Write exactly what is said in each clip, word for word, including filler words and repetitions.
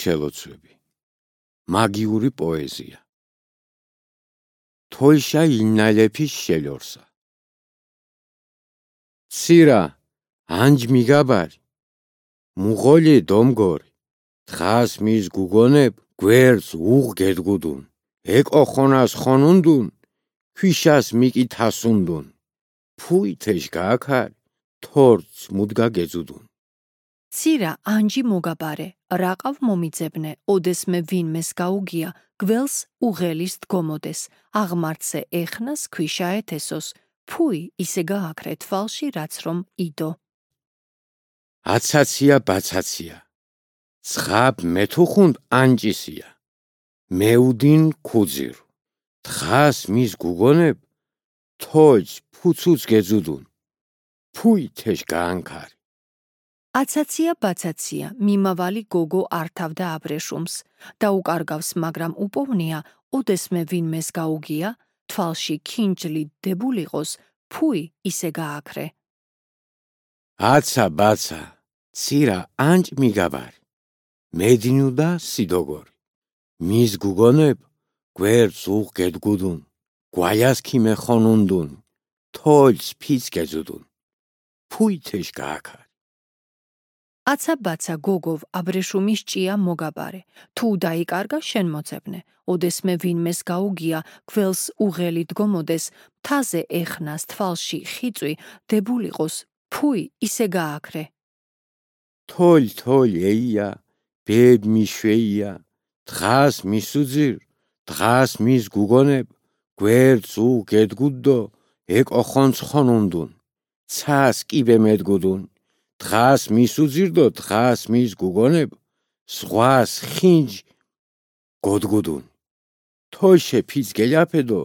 შელოცვები. მაგიური პოეზია. თოიშა ილნალეფის შელორსა. ცირა ანჯ მიგაბარი. მუღოლი დომგორი. თხას მის გუგონებ გვერდს უღ გედგუდუნ. ეკო ხონას ხონუნდუნ. ქვიშას მიკითასუნდუნ. ფუი თეშ გააქარი. თორც მუდგა გეძუდუნ. ცირა ანჯი მოგაბარე, რაყავ მომიძებნე, ოდესმე ვინმეს გაუგია, გველს უღელის დგომოდეს, აღმართზე ეხნას ქვიშა ეთესოს, ფუი ისე გააქრე თვალში რაც რომ იდო. აცაცია ბაცაცია, ცხაბ მეთუხუნდ ანჯისია, მეუდინ ქუძირუ, თხას მის გუგონებ, თოჯ ფუცუც გეძუდუნ, ფუი თეშ გაანქარი. აცაცია ბაცაცია, მიმავალი გოგო ართავდა აბრეშუმს, დაუკარგავს, მაგრამ უპოვნია, ოდესმე ვინმეს გაუგია, თვალში ქინჯლი დებულიყოს, ფუი ისე გააქრე. აცა ბაცა, ცირა ანჯ მიგაბარი, მედინუდა სიდოგორი, მის გუგონებ, გვერდს უღ გედგუდუნ, გვაიას ქიმე ხონუნდუნ, თოჯს ფიც გეძუდუნ, ფუი თეშ გააქარი. აცა ბაცა გოგოვ აბრეშუმის ჭია მოგაბარე, თუ დაიკარგა შენ მოძებნე, ოდესმე ვინმეს გაუგია, გველს უღელი დგომოდეს, მთაზე ეხნას თვალში ხიწვი დებულიყოს, ფუი ისე გააქრე. თოლ თოლ ეია, ბებ მიშვეია, თხას მისუძირ, თხას მის გუგონებ, გვერდს უღ გედგუდდო, ეკო ხონც ხონუნდუნ, ცას კიბე მედგუდუნ, თხას მისუძირდო, თხას მის გუგონებ, ზღვას ხინჯ გოდგუდუნ, თოიშე ფიც გეļაფედო,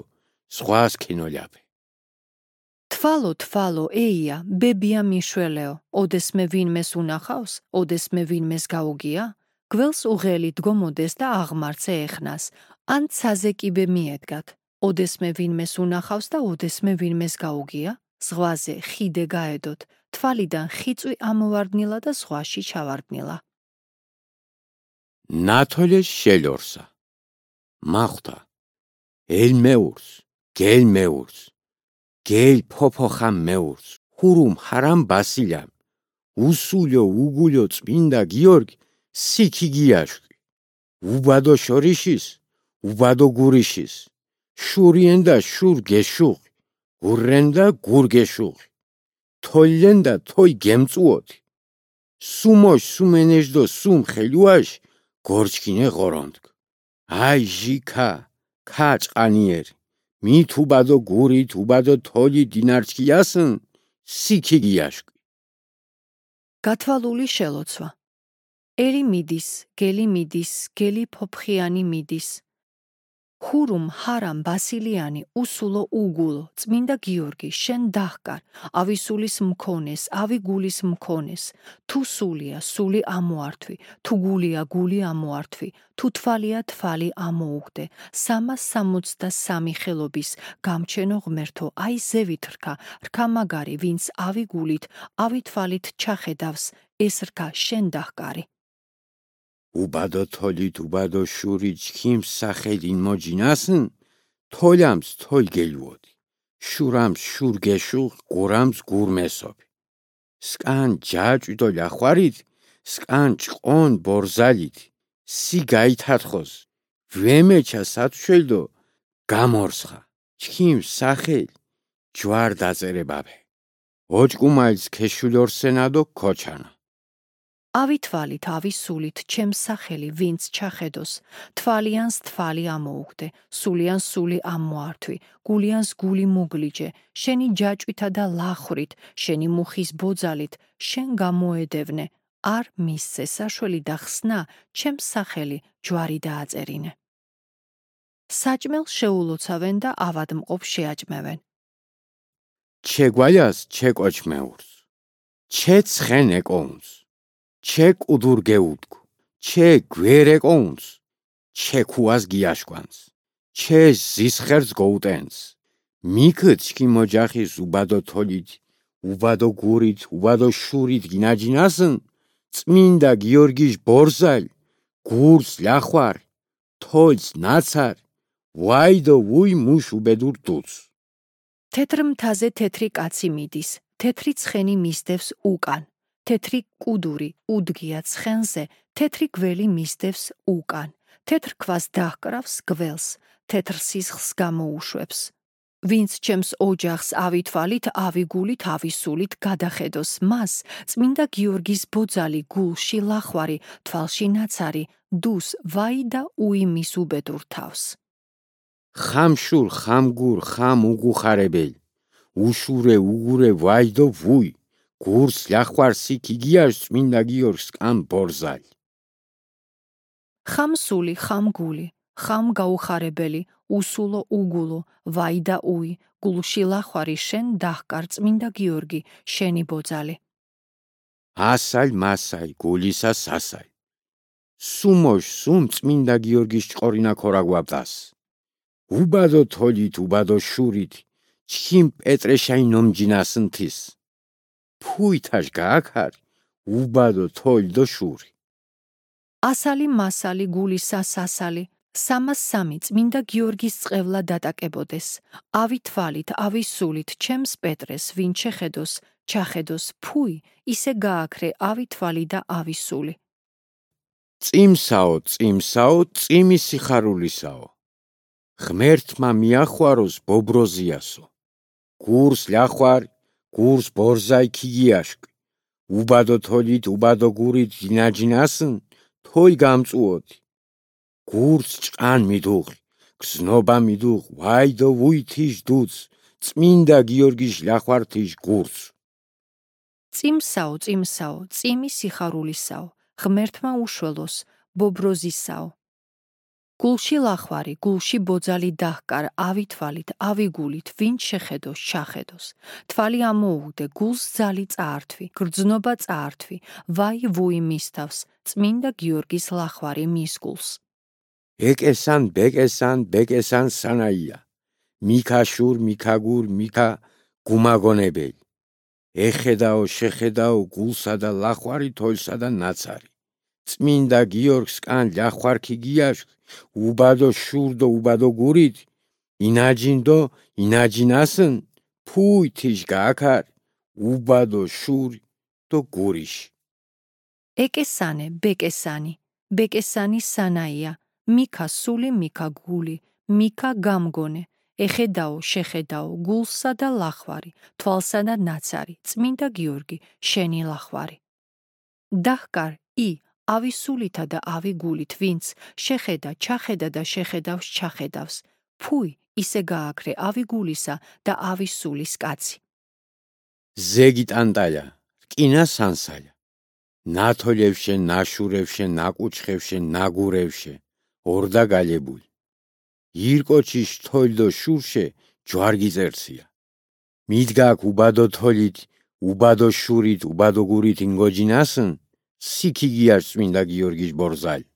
ზღვას ქინოļაფე. თვალო თვალო ეია, ბებია მიშველეო, ოდესმე ვინმეს უნახავს, ოდესმე ვინმეს გაუგია, გველს უღელი დგომოდეს და აღმართზე ეხნას, ან ცაზე კიბე მიედგათ, ოდესმე ვინმეს უნახავს და ოდესმე ვინმეს გაუგია, ზღვაზე ხიდე გაედოთ, თვალიდან ხიწვი ამოვარდნილა და ზღვაში ჩავარდნილა. ნათოლეს შელორსა. მახვთა, ელ მეურს, გელ მეურს, გელ ფოფოხამ მეურს, ხურუმ ჰარამ ბასილამ, უსულო უგულო წმინდა გიორგი, სიქი გიაშკი, უბადო შორიშის, უბადო გურიშის, შურიენ და შურ გეშუღი, გურრენ და გურ გეშუღი, თოლლენ და თოი გემწუოთი, სუმოშ სუმენეჟდო სუმ ხელუაშ, გორჩკინე ღორონდკ, აი ჟიქა, ქა ჭყანიერი, მით უბადო გურით, უბადო თოლი დინარჩკიასն, სიქი გიაშკი. გათვალული შელოცვა. ერი მიდის, გელი მიდის, გელი ფოფხიანი მიდის. ხურუმ ჰარამ ბასილიანი, უსულო უგულო, წმინდა გიორგი, შენ დაჰკარ, ავი სულის მქონეს, ავი გულის მქონეს, თუ სულია, სული ამოართვი, თუ გულია, გული ამოართვი, თუ თვალია, თვალი ამოუგდე, სამას სამოცდა სამი ხელობის, გამჩენო ღმერთო, აი ზევით რქა, რქა მაგარი, ვინც ავი გულით, ავი თვალით ჩახედავს, ეს რქა შენ დაჰკარი. უბადო თოლით, უბადო შურით, ჩქიმს სახელინ მოჯინასn, თოლამს თოლ გელუოდი, შურამს შურ გეშუღ, გურამს გურ მესობი. სკან ჯაჭვიდო ლიახვარით, სკან ჭყონ ბორზალით, სი გაითათხოს, ვემეჩა სათშველდო, გამორსხა, ჩქიმს სახელ, ჯვარ დაწერებაბე. ოჭკუმალს ქეშულორსენადო ქოჩანა. ავი თვალით, ავი სულით, ჩემს სახელი, ვინც ჩახედოს, თვალიანს თვალი ამოუგდე, სულიანს სული ამოართვი, გულიანს გული მოგლიჯე, შენი ჯაჭვითა და ლახრით, შენი მუხის ბოძალით, შენ გამოედევნე, არ მისცე საშველი და ხსნა, ჩემს სახელი, ჯვარი დააწერინე. საჭმელს შეულოცავენ და ავადმყოფ შეაჭმევენ. ჩეგვაიას ჩეკოჩმეურს, ჩეცხენ ეკოუნს, ჩე კუდურ გეუდგუ, ჩე გვერეკოუნს, ჩე ქუას გიაშკვანს, ჩე ზისხერს გოუტენს, მიქთ ჩქი მოჯახის უბადო თოლით, უბადო გურით, უბადო შურით გინაჯინასn, წმინდა გიორგის ბორზალ, გურს ляხვარ, თოილს ნაცარ, ვაიდო ვუი მუშ უბედურ დუც. თეთრ მთაზე თეთრი კაცი მიდის, თეთრი ცხენი მისდევს უკან, თეთრი კუდური უდგია ცხენზე, თეთრი გველი მისდევს უკან, თეთრ ქვას დაჰკრავს გველს, თეთრ სისხლს გამოუშვებს. ვინც ჩემს ოჯახს ავითვალით, ავიგულით, ავისულით გადახედოს მას, წმინდა გიორგის ბოძალი გულში ლახვარი, თვალში ნაცარი, დუს ვაი და უი მის უბედურ თავს. ხამშურ, ხამგურ, ხამ უგუხარებელ, უშურე, უგურე, ვაიდო ვუი, გურს ляხვარ სიქ იგიაშ წმინდა გიორგს კან ბორზალ. ხამსული, ხამგული, ხამ გაუხარებელი, უსულო უგულო, ვაი და უი, გულში ლახვარი შენ დაჰკარ წმინდა გიორგი, შენი ბოძალი. ასალ მასალ, გულისა სასალ. სუმოშ სუმ წმინდა გიორგის ჭყორინა ქორაგვაბდას. უბადო თოლით, უბადო შურით, ჩქიმ პეტრეშაი ნომჯინასნთის. ფუითაშ გააქარ, უბადო თოლ დო შური. ასალი მასალი გულისა სასალი, სამას სამი წმინდა გიორგის წყევლა დატაკებოდეს. ავი თვალით, ავი სულით, ჩემს პეტრეს, ვინ შეხედოს, ჩახედოს, ფუი, ისე გააქრე ავი თვალი და ავი სული. წიმსაო, წიმსაო, წიმი სიხარულისაო. ღმერთმა მიახვაროს ბობროზიასო. გურს ляხვარ, გურს ბორზაი ქიგიაშკ. უბადო თოლით, უბადო გურით დინაჯინასნ, თოი გამწუოდი. გურს ჭყან მიდუღი, გზნობა მიდუღ, ვაიდო ვუი თიშ დუც, წმინდა გიორგის ляხვარ თიშ გურს. წიმსაო, წიმსაო, წიმი სიხარულისაო, ღმერთმა უშველოს, ბობროზისაო. გულში ლახვარი, გულში ბოძალი დაჰკარ, ავი თვალით, ავი გულით, ვინ შეხედოს, ჩახედოს. თვალი ამოუგდე, გულს ძალი წაართვი, გრძნობა წაართვი, ვაი ვუი მისთავს, წმინდა გიორგის ლახვარი მის გულს. ეკესან, ბეკესან, ბეკესან სანაია. მიქაშურ, მიქაგურ, მიქა გუმაგონებელი. ეხედაო, შეხედაო, გულსა და ლახვარი, თოილსა და ნაცარი. წმინდა გიორგს კან ляხვარ ქიგიაშკ, უბადო შურდო, უბადო გურით, ინაჯინდო, ინაჯინასნ, ფუი თიშ გააქარ, უბადო შური დო გურიში. ეკესანე, ბეკესანი, ბეკესანი სანაია, მიქა სული, მიქა გული, მიქა გამგონე, ეხედაო, შეხედაო, გულსა და ლახვარი, თვალსა და ნაცარი, წმინდა გიორგი, შენი ლახვარი. დაჰკარ ი, ავი სულითა და ავი გულით, ვინც შეხედა, ჩახედა და შეხედავს, ჩახედავს, ფუი, ისე გააქრე ავი გულისა და ავი სულის კაცი. ზეგი ტანტაля, რკინა სანსაля. ნათოლევშე, ნაშურევშე, ნაკუჩხევშე, ნაგურევშე, ორდა გალებული. ირკოჩიშ თოლდო შურშე, ჯვარგი წერცია. მიდგაკ უბადო თოლით, უბადო შურით, უბადო გურით ინგოჯინასნ, სიქიგიაშ წმინდა გიორგის ბორზალი.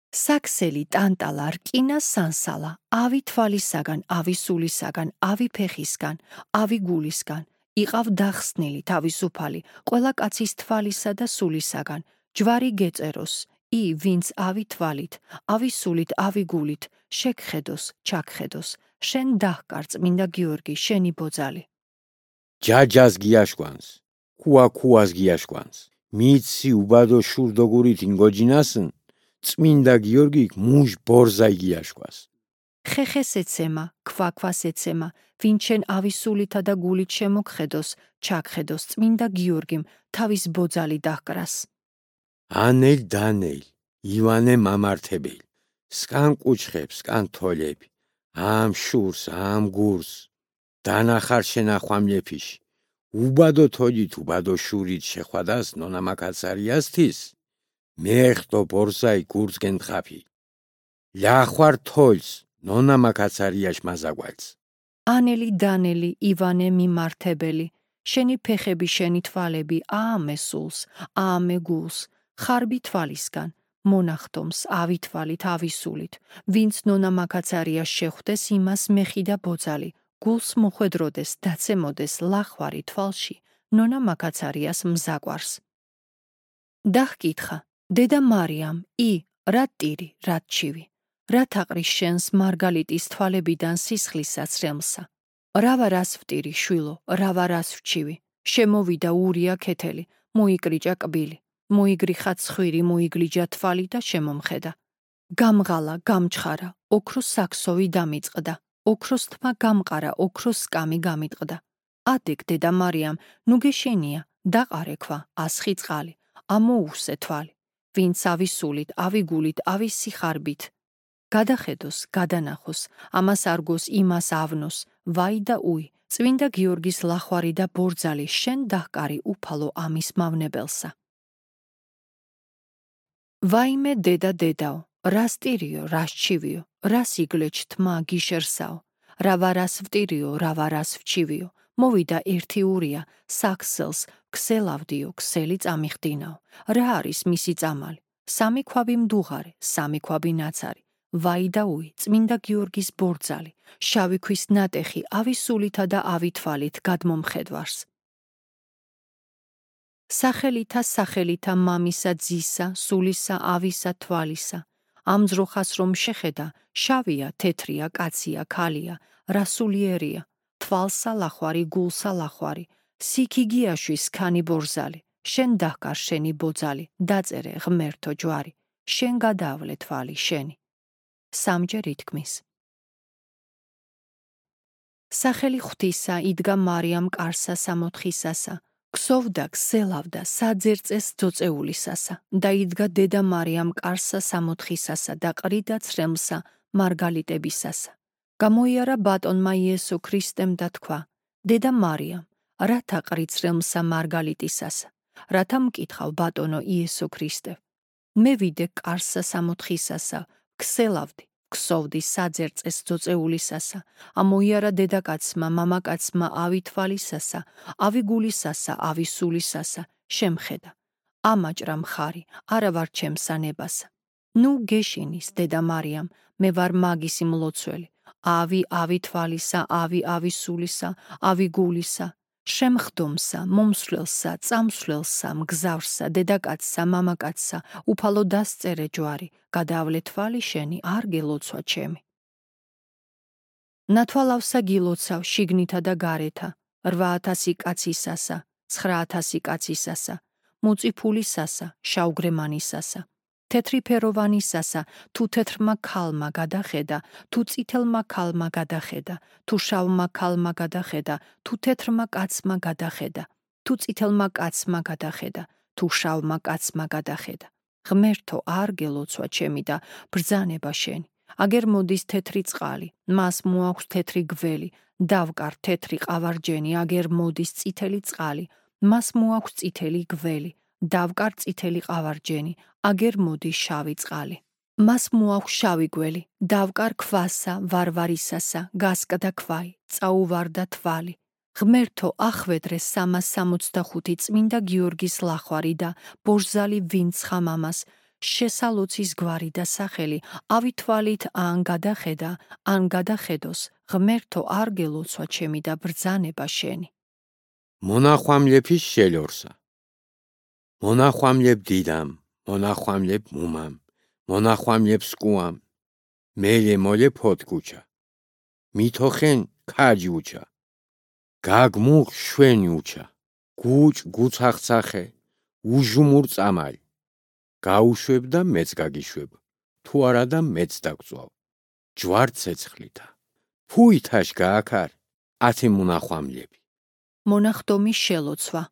საქსელი ტანტალა, რკინა სანსალა, ავი თვალისაგან, ავი სულისაგან, ავი ფეხისგან, ავი გულისგან, იყავ დახსნილი თავისუფალი, ყველა კაცის თვალისა და სულისაგან, ჯვარი გეწეროს, ი ვინც ავი თვალით, ავი სულით, ავი გულით, შეგხედოს, ჩაგხედოს, შენ დაჰკარ წმინდა გიორგი, შენი ბოძალი. ჯაჯას გიაშკვანს, ქუა ქუას გიაშკვანს, მიცი უბადო შურდო გურით ინგოჯინასნ, წმინდა გიორგი მუშ ბორზაი გიაშკვას. ხეხეს ეცემა, ქვაქვას ეცემა, ვინ შენ ავი სულითა და გულით შემოგხედოს, ჩაგხედოს, წმინდა გიორგიმ თავის ბოძალი დაჰკრას. ანელ დანელ, ივანე მამართებელი, სკან კუჩხებს, სკან თოლები, ამ შურს, ამ გურს, დანახარ შენახვამლეფიში, უბადო თოლით, უბადო შურით შეხვადას ნონამაკაცარიასთის, მეხტო ბორზაი გურს გენთხაფი. ляხვარ თოლს, ნონამაკაცარიაშ მაზაგვალს. ანელი დანელი, ივანე მიმართებელი, შენი ფეხები, შენი თვალები, აამე სულს, აამე გულს, ხარბი თვალისგან, მონახტომს, ავი თვალით, ავი სულით, ვინც ნონამაკაცარიას შეხვდეს, იმას მეხი და ბოძალი, გულს მოხვედროდეს, დაცემოდეს ლახვარი თვალში, ნონამაკაცარიას მზაკვარს. დაჰკითხა, დედა მარიამ, ი, რა ტირი, რა ჩივი, რა თაყრის შენს მარგალიტის თვალებიდან სისხლისა ცრემლსა. რა ვარას ვტირი, შვილო, რა ვარას ვჩივი, შემოვიდა ურია ქეთელი, მოიკრიჭა კბილი, მოიგრიხა ცხვირი, მოიგლიჯა თვალი და შემომხედა. გამღალა, გამჩხარა, ოქროს საქსოვი დამიწყდა, ოქროს თმა გამყარა, ოქროს სკამი გამიტყდა. ადეგ დედა მარიამ, ნუ გეშენია, დაყარექვა, ასხი წყალი, ამოუვსე თვალი, ვინც ავისულით, ავიგულით, ავის სიხარბით. გადახედოს, გადანახოს, ამას არგოს, იმას ავნოს, ვაი და უი, წმინდა გიორგის ლახვარი და ბორძალი, შენ დაჰკარი უფალო ამის მავნებელსა. ვაიმე დედა დედაო, რას ტირიო, რას ჩივიო, რას იგლეჩ თმა გიშერსაო, რა ვარას ვტირიო, რა ვარას ვჩივიო, მოვიდა ერთი ურია, საქსელს, ქსელავდიო, ქსელი წამიხდინაო, რა არის მისი წამალი, სამი ქვაბი მდუღარე, სამი ქვაბი ნაცარი, ვაი და უი, წმინდა გიორგის ბორძალი, შავი ქვის ნატეხი, ავისულითა და ავითვალით გადმომხედვარს. სახელითა სახელითა მამისა ძისა, სულისა, ავისა, თვალისა, ამ ძროხას რომ შეხედა, შავია, თეთრია, კაცია, ქალია, რასულიერია, თვალსა ლახვარი, გულსა ლახვარი, სიქიგიაშვი სქანი ბორზალი, შენ დაჰკარ შენი ბოძალი, დაწერე ღმერთო ჯვარი, შენ გადაავლე თვალი შენი. სამჯერ ითქმის. სახელი ღვთისა იდგა მარიამ კარსა სამოთხისასა, ქსოვდა, ქსელავდა, საძერწეს ძოწეულისასა, და იდგა დედა მარიამ კარსა სამოთხისასა და ყრიდა ცრემლსა მარგალიტებისასა. გამოიარა ბატონმა იესო ქრისტემ და თქვა, დედა მარიამ, რათა ყრით ცრემლსა მარგალიტისასა, რათა მკითხავ ბატონო იესო ქრისტე. მე ვიდე კარსა სამოთხისასა, ქსელავდი, ქსოვდი საძერწეს ძოწეულისასა, ამოიარა დედაკაცმა, მამაკაცმა ავი თვალისასა, ავი გულისასა, ავი სულისასა, შემხედა. ამაჭრა მხარი, არა ვარ ჩემსა ნებასა. ნუ გეშინის, დედა მარიამ, მე ვარ მაგისი მლოცველი, ავი ავი თვალისა, ავი ავი სულისა, ავი გულისა, შემხდომსა, მომსვლელსა, წამსვლელსა, მგზავრსა, დედაკაცსა, მამაკაცსა, უფალო დასწერე ჯვარი, გადაავლე თვალი შენი, არ გელოცვა ჩემი. ნათვალავსა გილოცავ შიგნითა და გარეთა, რვა ათასი კაცისასა, ცხრა ათასი კაცისასა, მუწიფულისასა, შავგრემანისასა, თეთრი ფეროვანისასა, თუ თეთრმა ქალმა გადახედა, თუ წითელმა ქალმა გადახედა, თუ შავმა ქალმა გადახედა, თუ თეთრმა კაცმა გადახედა, თუ წითელმა კაცმა გადახედა, თუ შავმა კაცმა გადახედა. ღმერთო არ გელოცვა ჩემი და ბრძანება შენი. აგერ მოდის თეთრი წყალი, მას მოაქვს თეთრი გველი, დავკარ თეთრი ყავარჯენი, აგერ მოდის წითელი წყალი, მას მოაქვს წითელი გველი, დავკარ წითელი ყავარჯენი, აგერ მოდის შავი წყალი. მას მოაქვს შავი გველი, დავკარ ქვასა, ვარვარისასა, გასკდა ქვაი, წაუვარდა თვალი. ღმერთო ახვედრე სამას სამოცდახუთი წმინდა გიორგის ლახვარი და ბორძალი ვინც ხამამას, შესალოცის გვარი და სახელი, ავი თვალით ან გადახედა, ან გადახედოს, ღმერთო არ გელოცვა ჩემი და ბრძანება შენი. მონახვამლეფის შელორსა. მონახვამლებ დიდამ, მონახვამლებ მუმამ, მონახვამლებ სკუამ, მელე მოლე ფოთკუჩა, მითოხენ ქაჯუჩა, გაგმუხ შვენიუჩა, გუჭ გუცახცახე, უჟუმურ წამალი, გაუშვებ და მეც გაგიშვებ, თუ არა და მეც დაგწვავ, ჯვარ ცეცხლითა, ფუითაშ გააქარ, ათი მონახვამლები. მონახდომი შელოცვა.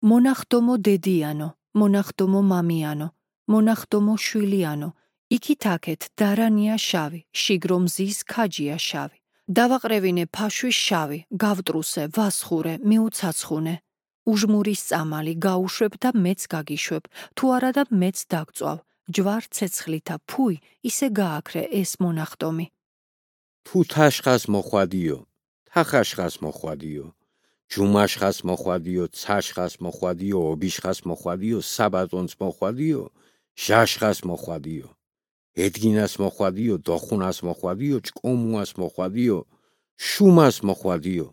მონახდომო დედიანო, მონახდომო მამიანო, მონახდომო შვილიანო, იქით-აქეთ დარანია შავი, შიგრომზის ქაჯია შავი. დავაყრევინე ფაშვი შავი, გავტრუსე, ვასხურე, მიუცაცხუნე. უჟმურის წამალი, გაუშვებ და მეც გაგიშვებ, თუ არა და მეც დაგწვავ, ჯვარ ცეცხლითა, ფუი, ისე გააქრე ეს მონახდომი. თუ თაშხას მოხვადიო, თახაშხას მოხვადიო, ჯუმაშხას მოხვადიო, ცაშხას მოხვადიო, ობიშხას მოხვადიო, საბატონს მოხვადიო, ჟაშხას მოხვადიო, ედგინას მოხვადიო, დოხუნას მოხვადიო, ჭკომუას მოხვადიო, შუმას მოხვადიო.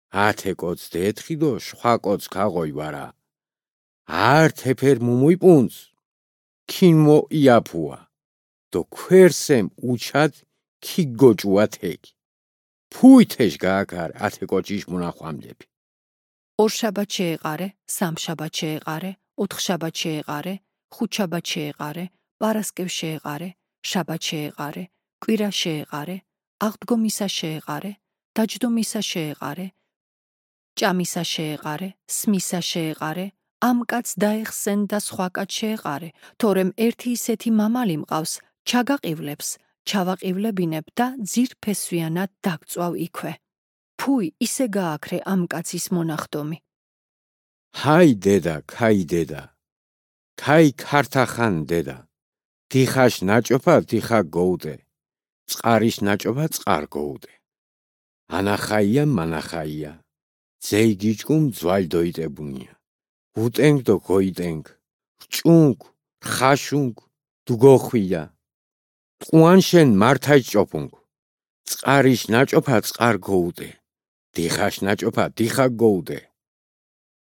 ათე კოც დეთხიდო, შხვა კოც ქაღოი ვარა. არ თეფერ მუმუი პუნც. ქინმო იაფუა დო ქვერსემ უჩად ქიგოჭუათეგ ფუითეშ გააკარ ათე კოჭიშ მონახვამლები ორშაბათ შეეყარე, სამშაბათ შეეყარე, ოთხშაბათ შეეყარე, ხუთშაბათ შეეყარე, პარასკევს შეეყარე, შაბათ შეეყარე, კვირა შეეყარე, აღდგომისა შეეყარე, დაჯდომისა შეეყარე, ჭამისა შეეყარე, სმისა შეეყარე, ამ კაცს დაეხსენ და სხვა კაც შეეყარე, თორემ ერთი ისეთი მამალი მყავს, ჩაგაყივლებს, ჩავაყივლებინებ და ძირფესვიანად დაგწვავ იქვე. ფუი, ისე გააქრე ამ კაცის მონახდომი. ჰაი დედა, ქაი დედა, ქაი ქართახან დედა, დიხაშ ნაჭოფა დიხა გოუდე, წყარის ნაჭოფა წყარ გოუდე. ანახაია მანახაია, ძეი გიჭკუმ ძვალ დოიტებუნია, უტენგ დო გოიტენგ, რჭუნგ, რხაშუნგ, დუგოხვია, ტყუანშენ მართაჯ ჭოფუნგ, წყარის ნაჭოფა წყარ გოუდე, დიხაშ ნაჭოფა დიხა გოუდე.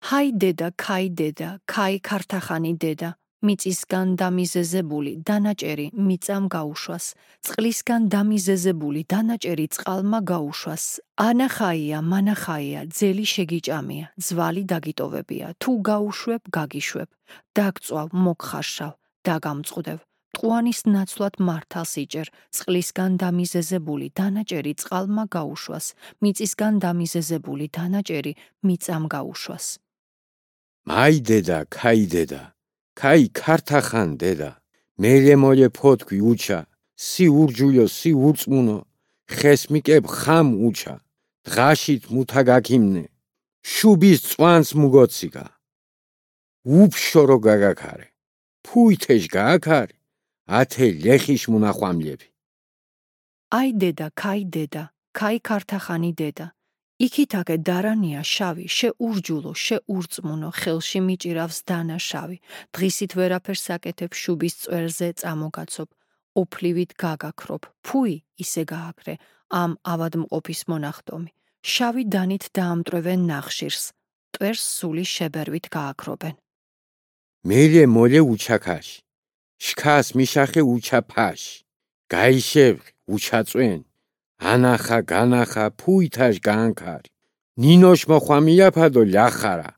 ჰაი დედა, ქაი დედა, ქაი ქართახანი დედა, მიწისგან დამიზეზებული დანაჭერი მიწამ გაუშვას, წყლისგან დამიზეზებული დანაჭერი წყალმა გაუშვას, ანახაია, მანახაია, ძელი შეგიჭამია, ძვალი დაგიტოვებია, თუ გაუშვებ, გაგიშვებ, დაგწვავ, მოგხარშავ, დაგამწყდევ, ტყუანის ნაცვლად მართალს იჭერ, წყლისგან დამიზეზებული დანაჭერი წყალმა გაუშვას, მიწისგან დამიზეზებული დანაჭერი მიწამ გაუშვას. მაი დედა, ქაი დედა, ქაი ქართახან დედა, მელე მოლე ფოთქვი უჩა, სი ურჯულიო, სი ურწმუნო, ხეს მიკებ ხამ უჩა, დღაშით მუთა გაქიმნე, შუბის წვანს მუგოციკა, უფშორო გაგაქარე, ფუითეშ გააქარი, ათე ლეხიშ მონახვამლები. აი დედა, ქაი დედა, ქაი ქართახანი დედა, იქითაკე დარანია შავი, შეურჯულო, შეურწმუნო, ხელში მიჭირავს დანა შავი, დღისით ვერაფერს აკეთებ შუბის წვერზე წამოგაცობ, ოფლივით გაგაქრობ, ფუი, ისე გააქრე, ამ ავადმყოფის მონახდომი, შავი დანით დაამტვრევენ ნახშირს, ტვერს სული შებერვით გააქრობენ. მელე მოლე უჩაქაშ, შქას მიშახე უჩაფაშ, გაიშევრ უჩაწვენ, ანახა განახა ფუითაშ გაანქარი, ნინოშ მოხვამიაფადო ლიახარა.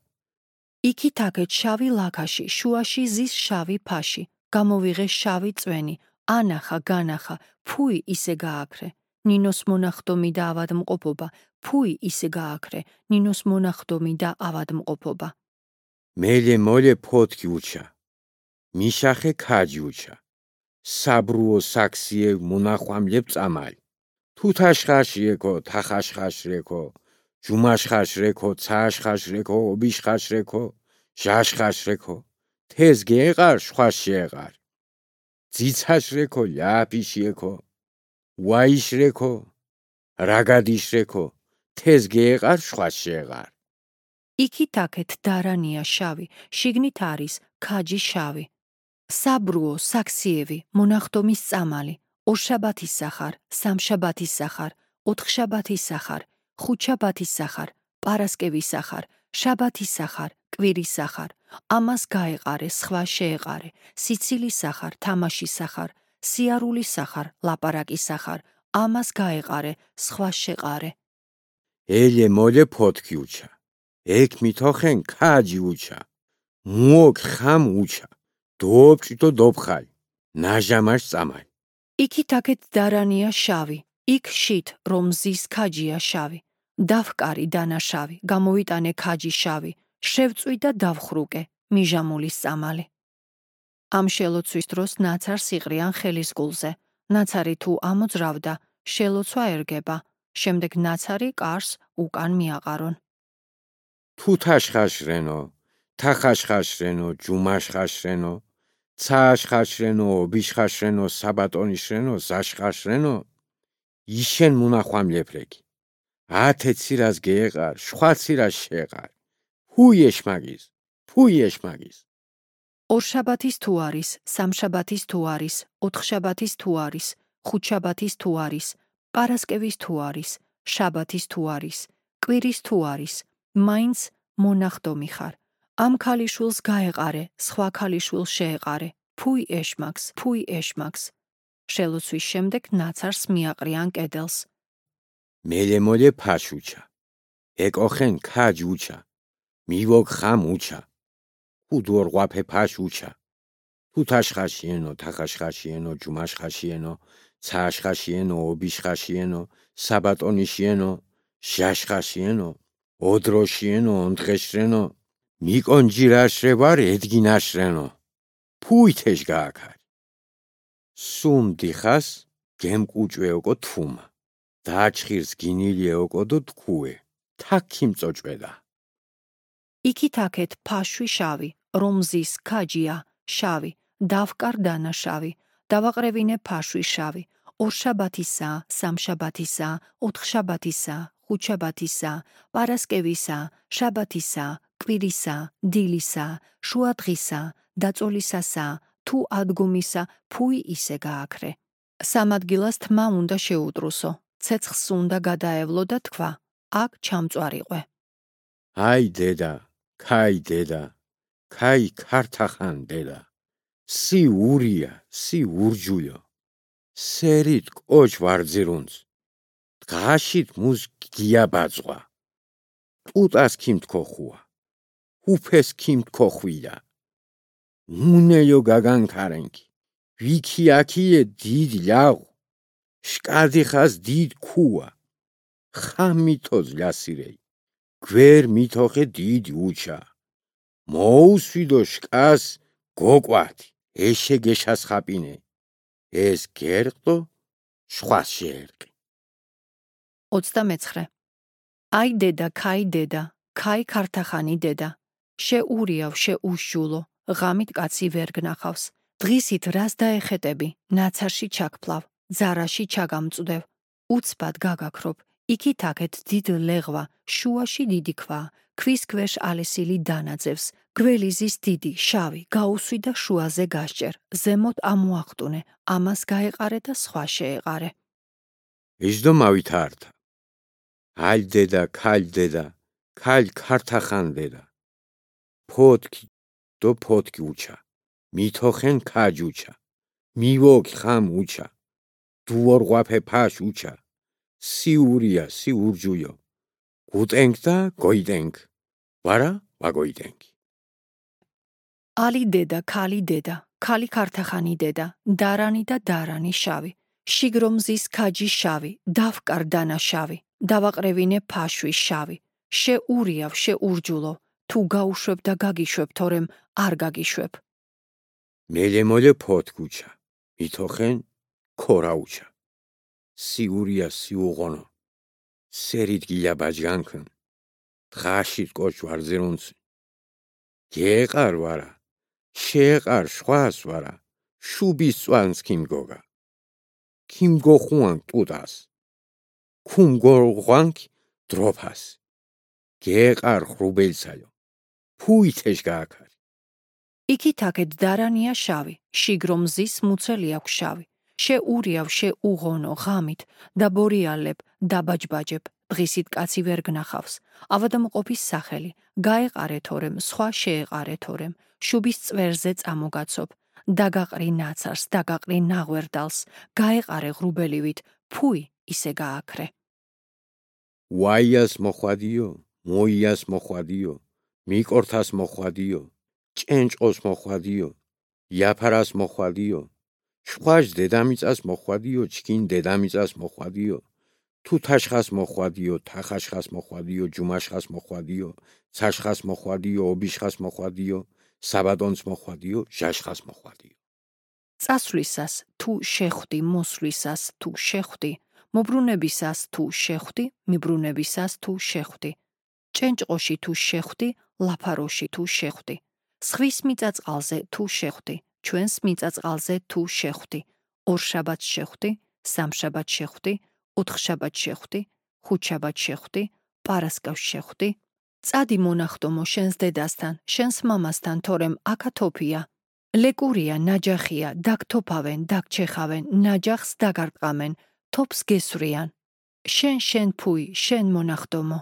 იქითაკეთ შავი ლაქაში, შუაში ზის შავი ფაში, გამოვიღე შავი წვენი, ანახა განახა, ფუი ისე გააქრე, ნინოს მონახდომი და ავადმყოფობა, ფუი ისე გააქრე, ნინოს მონახდომი და ავადმყოფობა. მელე მოლე ფოთქი უჩა, მიშახე ქაჯი უჩა, საბრუო საქსიე მონახვამლებ წამალი, თუთაშხაში ეკო, თახაშხაში ეკო, ჯუმაშხაში ეკო, ცაშხაში ეკო, ობიშხაში ეკო, ჟაშხაში ეკო, თეს გეყარ, შვაში ეყარ, ძიცაში ეკო, ლიაფიში ეკო, ვაიში ეკო, რაგადიში ეკო, თეს გეყარ, შვაში ეყარ. იქითაკეთ დარანია შავი, შიგნით არის ქაჯი შავი. საბრუო, საქსიევი, მონახდომის წამალი, ორშაბათის სახარ, სამშაბათის სახარ, ოთხშაბათის სახარ, ხუთშაბათის სახარ, პარასკევის სახარ, შაბათის სახარ, კვირის სახარ, ამას გაეყარე, სხვა შეეყარე, სიცილის სახარ, თამაშის სახარ, სიარულის სახარ, ლაპარაკის სახარ, ამას გაეყარე, სხვა შეყარე. ელე მოლე ფოთქი უჩა, ეკ მითოხენ ქაჯი უჩა, მუოკ ხამ უჩა, დობჭიტო დობხალი, ნაჟამაშ წამალი. იქითაკეთ დარანია შავი, იქ შით, რომ ზის ქაჯია შავი, დავკარი დანა შავი, გამოვიტანე ქაჯი შავი, შევწვი და დავხრუკე, მიჟამულის წამალი. ამ შელოცვის დროს ნაცარს იყრიან ხელის გულზე, ნაცარი თუ ამოძრავდა, შელოცვა ერგება, შემდეგ ნაცარი კარს უკან მიაყარონ. თუთაშხაშრენო, თახაშხაშრენო, ჯუმაშხაშრენო, ცაშხაშრენო, ობიშხაშრენო, საბატონიშრენო, ზაშხაშრენო, იშენ მონახვამლეფრეგი. ათე ცირას გეეყარ, შხვა ცირას შეეყარ. ფუი ეშმაგის, ფუი ეშმაგის. ორშაბათის თუ არის, სამშაბათის თუ არის, ოთხშაბათის თუ არის, ხუთშაბათის თუ არის, პარასკევის თუ არის, შაბათის თუ არის, კვირის თუ არის, მაინც მონახდომი ხარ. ამ ქალიშვილს გაეყარე, სხვა ქალიშვილს შეეყარე, ფუი ეშმაკს, ფუი ეშმაკს. შელოცვის შემდეგ ნაცარს მიაყრიან კედელს. მელემოლე ფაშუჩა. ეკოხენ ქაჯუჩა. მივოგ ხამუჩა. უდორღვაფე ფაშუჩა. თუთაშხაშიენო, თახაშხაშიენო, ჯუმაშხაშიენო, ცააშხაშიენო, ობიშხაშიენო, საბატონიშიენო, ჟაშხაშიენო, ოდროშიენო, ონდღეშრენო, მიკონჯირაშრევარ ედგინაშრენო. ფუითეშ გააქარი. სუმ დიხას გემკუჭვეოკო თუმა. დაჩხირს გინილიეოკოდო თქუე. თაქიმწოჭვედა. იქით-აქეთ ფაშვი შავი, რომზის ქაჯია შავი, დავკარდანა შავი, დავაყრევინე ფაშვი შავი, ორშაბათისა, სამშაბათისა, ოთხშაბათისა, ხუთშაბათისა, პარასკევისა, შაბათისა, კვირისა, დილისა, შუადღისა, დაწოლისასა, თუ ადგომისა, ფუი ისე გააქრე. სამ ადგილას თმა უნდა შეუტრუსო, ცეცხლს უნდა გადაევლო და თქვა, აქ ჩამწვარიყვე. აი დედა, ქაი დედა, ქაი ქართახან დედა, სი ურია, სი ურჯულიო, სერით კოჩ ვარძირუნც, დღაშით მუს გიაბაძღვა, ტუტას ქიმთქოხუა, ჰუფეს ქიმთქოხვიდა, უნეიო გაგანქარენკი, ვიქი აქიე დიდ ლიაღუ, შკადიხას დიდ ქუა, ხამითოz ლიასირეი, გვერ მითოხე დიდი უჩა, მოუსვიდო შკას გოკვათი, ეშე გეშასხაპინე, ეს გერყდო, შვას შეერყი. ოცდამეცხრე. აი დედა, ქაი დედა, ქაი ქართახანი დედა, შეურიავ, შეუშჯულო, ღამით კაცი ვერ გნახავს, დღისით რას დაეხეტები, ნაცარში ჩაგფლავ, ძარაში ჩაგამწვდევ, უცბად გაგაქრობ, იქით-აქეთ დიდ ლეღვა, შუაში დიდი ქვა, ქვის ქვეშ ალესილი დანაძევს, გველიზის დიდი, შავი, გაუსვი და შუაზე გასჭერ, ზემოთ ამოახტუნე, ამას გაეყარე და სხვა შეეყარე. ეჯდო მავითართა. ალ დედა, ქალ დედა, ქალ ქართახან დედა, ფოტკი დო ფოტკი უჩა, მითოხენ ქაჯუჩა, მივოგ ხამ უჩა, დუორღვაფე ფაშ უჩა, სი ურია, სი ურჯუიო, გუტენგ და გოიდენგ, ვარა ვაგოიდენგი. ალი დედა, ქალი დედა, ქალი ქართახანი დედა, დარანი და დარანი შავი, შიგრომზის ქაჯი შავი, დავკარდანა შავი, დავაყრევინე ფაშვი შავი, შეურიავ, შეურჯულო, თუ გაუშვებ და გაგიშვებ, თორემ არ გაგიშვებ. მელემოლე ფოტკუჩა, მითოხენ ქორაუჩა, სი ურია, სი უღონო, სერით გიაბაჯგანქն, დღაშით კოჩ ვარძირუნცი, გეყარ ვარა, შეეყარ შვას ვარა, შუბის წვანს ქიმგოგა, ქიმგოხუან ტუტას, ქუმგორღვანკ დროფას, გეყარ ხრუბელცაიო, ფუითეშ გააქარი. იქით-აქეთ დარანია შავი, შიგრომზის მუცელი აქვს შავი, შეურიავ, შეუღონო, ღამით, დაბორიალებ, დაბაჯბაჯებ, დღისით კაცი ვერ გნახავს, ავადმყოფის სახელი, გაეყარე თორემ, სხვა შეეყარე თორემ, შუბის წვერზე წამოგაცობ, დაგაყრი ნაცარს, დაგაყრი ნაღვერდალს, გაეყარე ღრუბელივით, ფუი ისე გააქრე. ვაიას მოხვადიო, მოიას მოხვადიო, მიკორთას მოხვადიო, ჭენჭყოს მოხვადიო, იაფარას მოხვადიო, შვაშ დედამიწას მოხვადიო, ჩქინ დედამიწას მოხვადიო, თუთაშხას მოხვადიო, თახაშხას მოხვადიო, ჯუმაშხას მოხვადიო, ცაშხას მოხვადიო, ობიშხას მოხვადიო, საბატონს მოხვადიო, ჟაშხას მოხვადიო. წასვლისას თუ შეხვდი, მოსვლისას თუ შეხვდი, მობრუნებისას თუ შეხვდი, მიბრუნებისას თუ შეხვდი, ჭენჭყოში თუ შეხვდი, ლაფაროში თუ შეხვდი, სხვის მიწაწყალზე თუ შეხვდი, ჩვენს მიწაწყალზე თუ შეხვდი, ორშაბათს შეხვდი, სამშაბათს შეხვდი, ოთხშაბათს შეხვდი, ხუთშაბათს შეხვდი, პარასკევს შეხვდი, წადი მონახტომო შენს დედასთან, შენს მამასთან, თორემ აქათოფია, ლეკურია, ნაჯახია, დაგთოფავენ, დაგჩეხავენ, ნაჯახს დაგარტყამენ, თოფს გესვრიან, შენ შენ ფუი, შენ მონახტომო.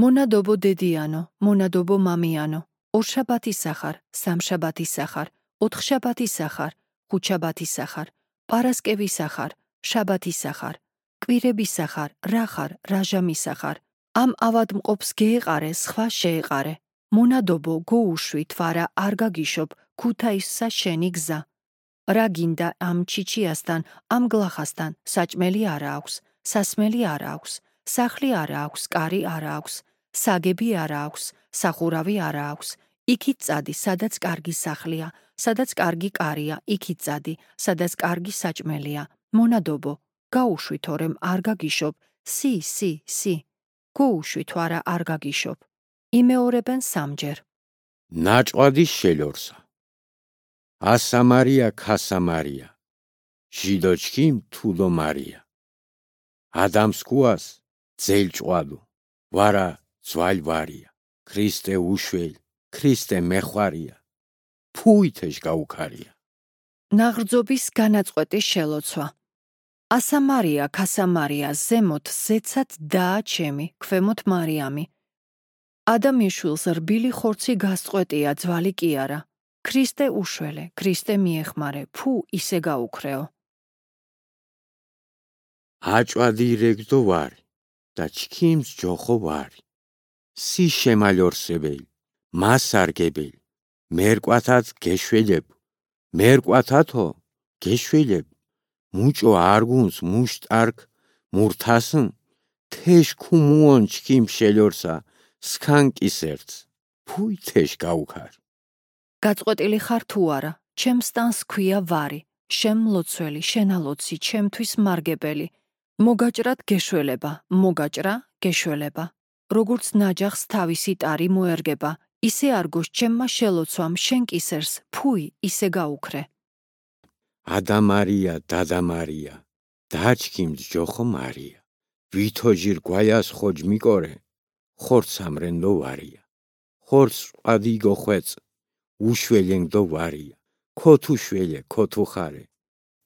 მონადობო დედიანო, მონადობო მამიანო, ორშაბათისახარ, სამშაბათისახარ, ოთხშაბათისახარ, ხუთშაბათისახარ, პარასკევისახარ, შაბათისახარ, კვირებისახარ, რახარ, რაჟამისახარ. ამ ავადმყოფს გეეყარე, სხვა შეეყარე. მონადობო, გოუშვი, თვარა, არ გაგიშობ, ქუთაისსა შენი გზა. რა გინდა ამ ჩიჩიასთან, ამ გლახასთან, საჭმელი არა აქვს, სასმელი არა აქვს, სახლი არა აქვს, კარი არა აქვს, საგები არა აქვს, სახურავი არა აქვს. იქით წადი, სადაც კარგი სახლია, სადაც კარგი კარია, იქით წადი, სადაც კარგი საჭმელია. მონადობო, გაუშვი თორემ არ გაგიშობ, სი, სი, სი. გოუშვი თვარა არ გაგიშობ. იმეორებენ სამჯერ. ნაჭყვადის შელორსა. ასამარია ქასამარია. ჟიდოჩქიმ თუდო მარია. ადამს კუას ძელჭყვადო. ვარა ძვალ ვარია. ქრისტე უშველ, ქრისტე მეხვარია. ფუითეშ გაუქარია. ნაღრძობის განაწყვეტის შელოცვა. ასამარია ქასამარია, ზემოთ ზეცად დაა ჩემი, ქვემოთ მარიამი. ადამიანშვილს რბილი ხორცი გასწყვეტია, ძვალი კი არა. ქრისტე უშველე, ქრისტე მიეხმარე, ფუ ისე გაუქრეო. აჭვადი რეგდო ვარი და ჩქიმს ჯოხო ვარი. სი შემალორსებელი, მასარგებელი, მერკვათად გეშველებ, მერკვათათო გეშველებ. მუჭო არგუნს მუშტარკ მურთასın, თეშ ქუმუონ ჩქიმ შელორსა, სქანკისერც, ფუი თეშ გაუქარ. გაწყვეტილი ხარ თუ არა, ჩემს ტანს ქვია ვარი, შენ მლოცველი, შენალოცი, ჩემთვის მარგებელი. მოგაჭრად გეშველება, მოგაჭრა გეშველება. როგორც ნაჯახს თავისი ტარი მოერგება, ისე არგოს ჩემმა შელოცვამ შენ კისერს, ფუი ისე გაუქრე. ადამარია, დადამარია, დაჩქიმს ჯოხო მარია. ვითოჯირ გვაიას ხოჯ მიკორე, ხორც ამრენდო ვარია. ხორც ყადი გოხვეწ, უშველენდო ვარია. ქოთუ შველე, ქოთუ ხარე,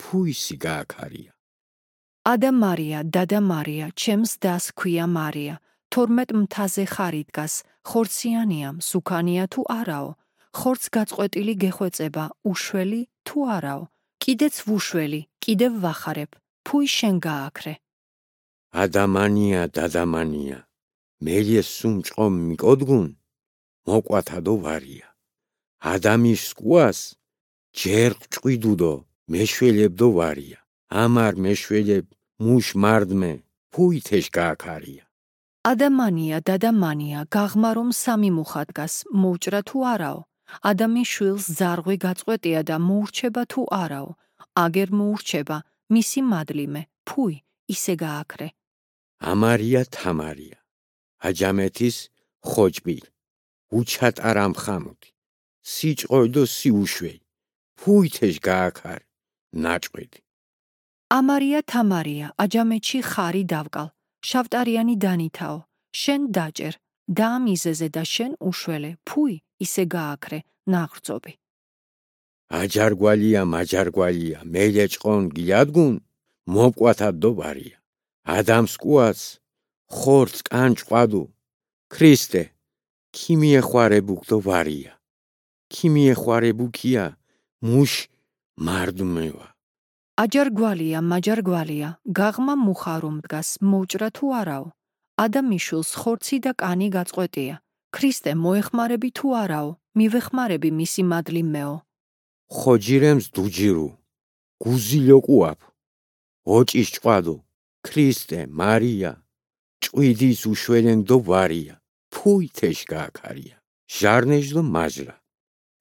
ფუისი გააქარია. ადამარია, დადამარია, ჩემს დას ქვია მარია. თორმეტ მთაზე ხარი დგას, ხორციანია, მსუქანია თუ არაო. ხორც გაწყვეტილი გეხვეწება, უშველი თუ არაო. კიდეც ვუშველი, კიდევ ვახარებ, ფუი შენ გააქრე. ადამანია, დადამანია, მელიეს სუმჭყომ მიკოდგუნ, მოყვათადო ვარია. ადამის სკუას, ჯერ ჭყვიდუდო, მეშველებდო ვარია. ამარ მეშველებ, მუშ მარდმე, ფუი თეშ გააქარია. ადამანია, დადამანია, გაღმარომ სამი მუხა დგას, მოუჭრა თუ არაო. ადამიანის შვილს ზარღვი გაწყვეტია და მოურჩება თუ არაო. აგერ მოურჩება, მისი მადლიმე, ფუი ისე გააქრე. ამარია თამარია, აჯამეთის ხოჭბილ, უჩატარამ ხამუდი, სიჭყოიდო სიუშველი, ფუი თეშ გააქარ, ნაჭყვედი. ამარია თამარია, აჯამეთში ხარი დავკალ, შავტარიანი დანითაო, შენ დაჭერ, დაამიზეზე და შენ უშველე, ფუი ისე გააქრე, ნაღრძობი. აჯარგვალია, მაჯარგვალია, მელეჭყონ გიადგუნ, მოყვათადო ვარია. ადამს კუას, ხორც კანჭყვადუ, ქრისტე, ქიმიეხვარებუკდო ვარია. ქიმიეხვარებუკია, მუშ მარდმევა. აჯარგვალია, მაჯარგვალია, გაღმა მუხარომ დგას, მოუჭრა თუ არაო. ადამიანის ხორცი და კანი გაწყვეტია. ქრისტე მოეხმარები თუ არაო, მივეხმარები მისი მადლიმეო. ხოჯირემს დუჯირუ, გუზილოკუაფ, ოჭის ჭყვადო, ქრისტე, მარია, ჭყვიდის უშველენდო ვარია, ფუი თეშ გააქარია. ჟარნეჟდო მაჟრა.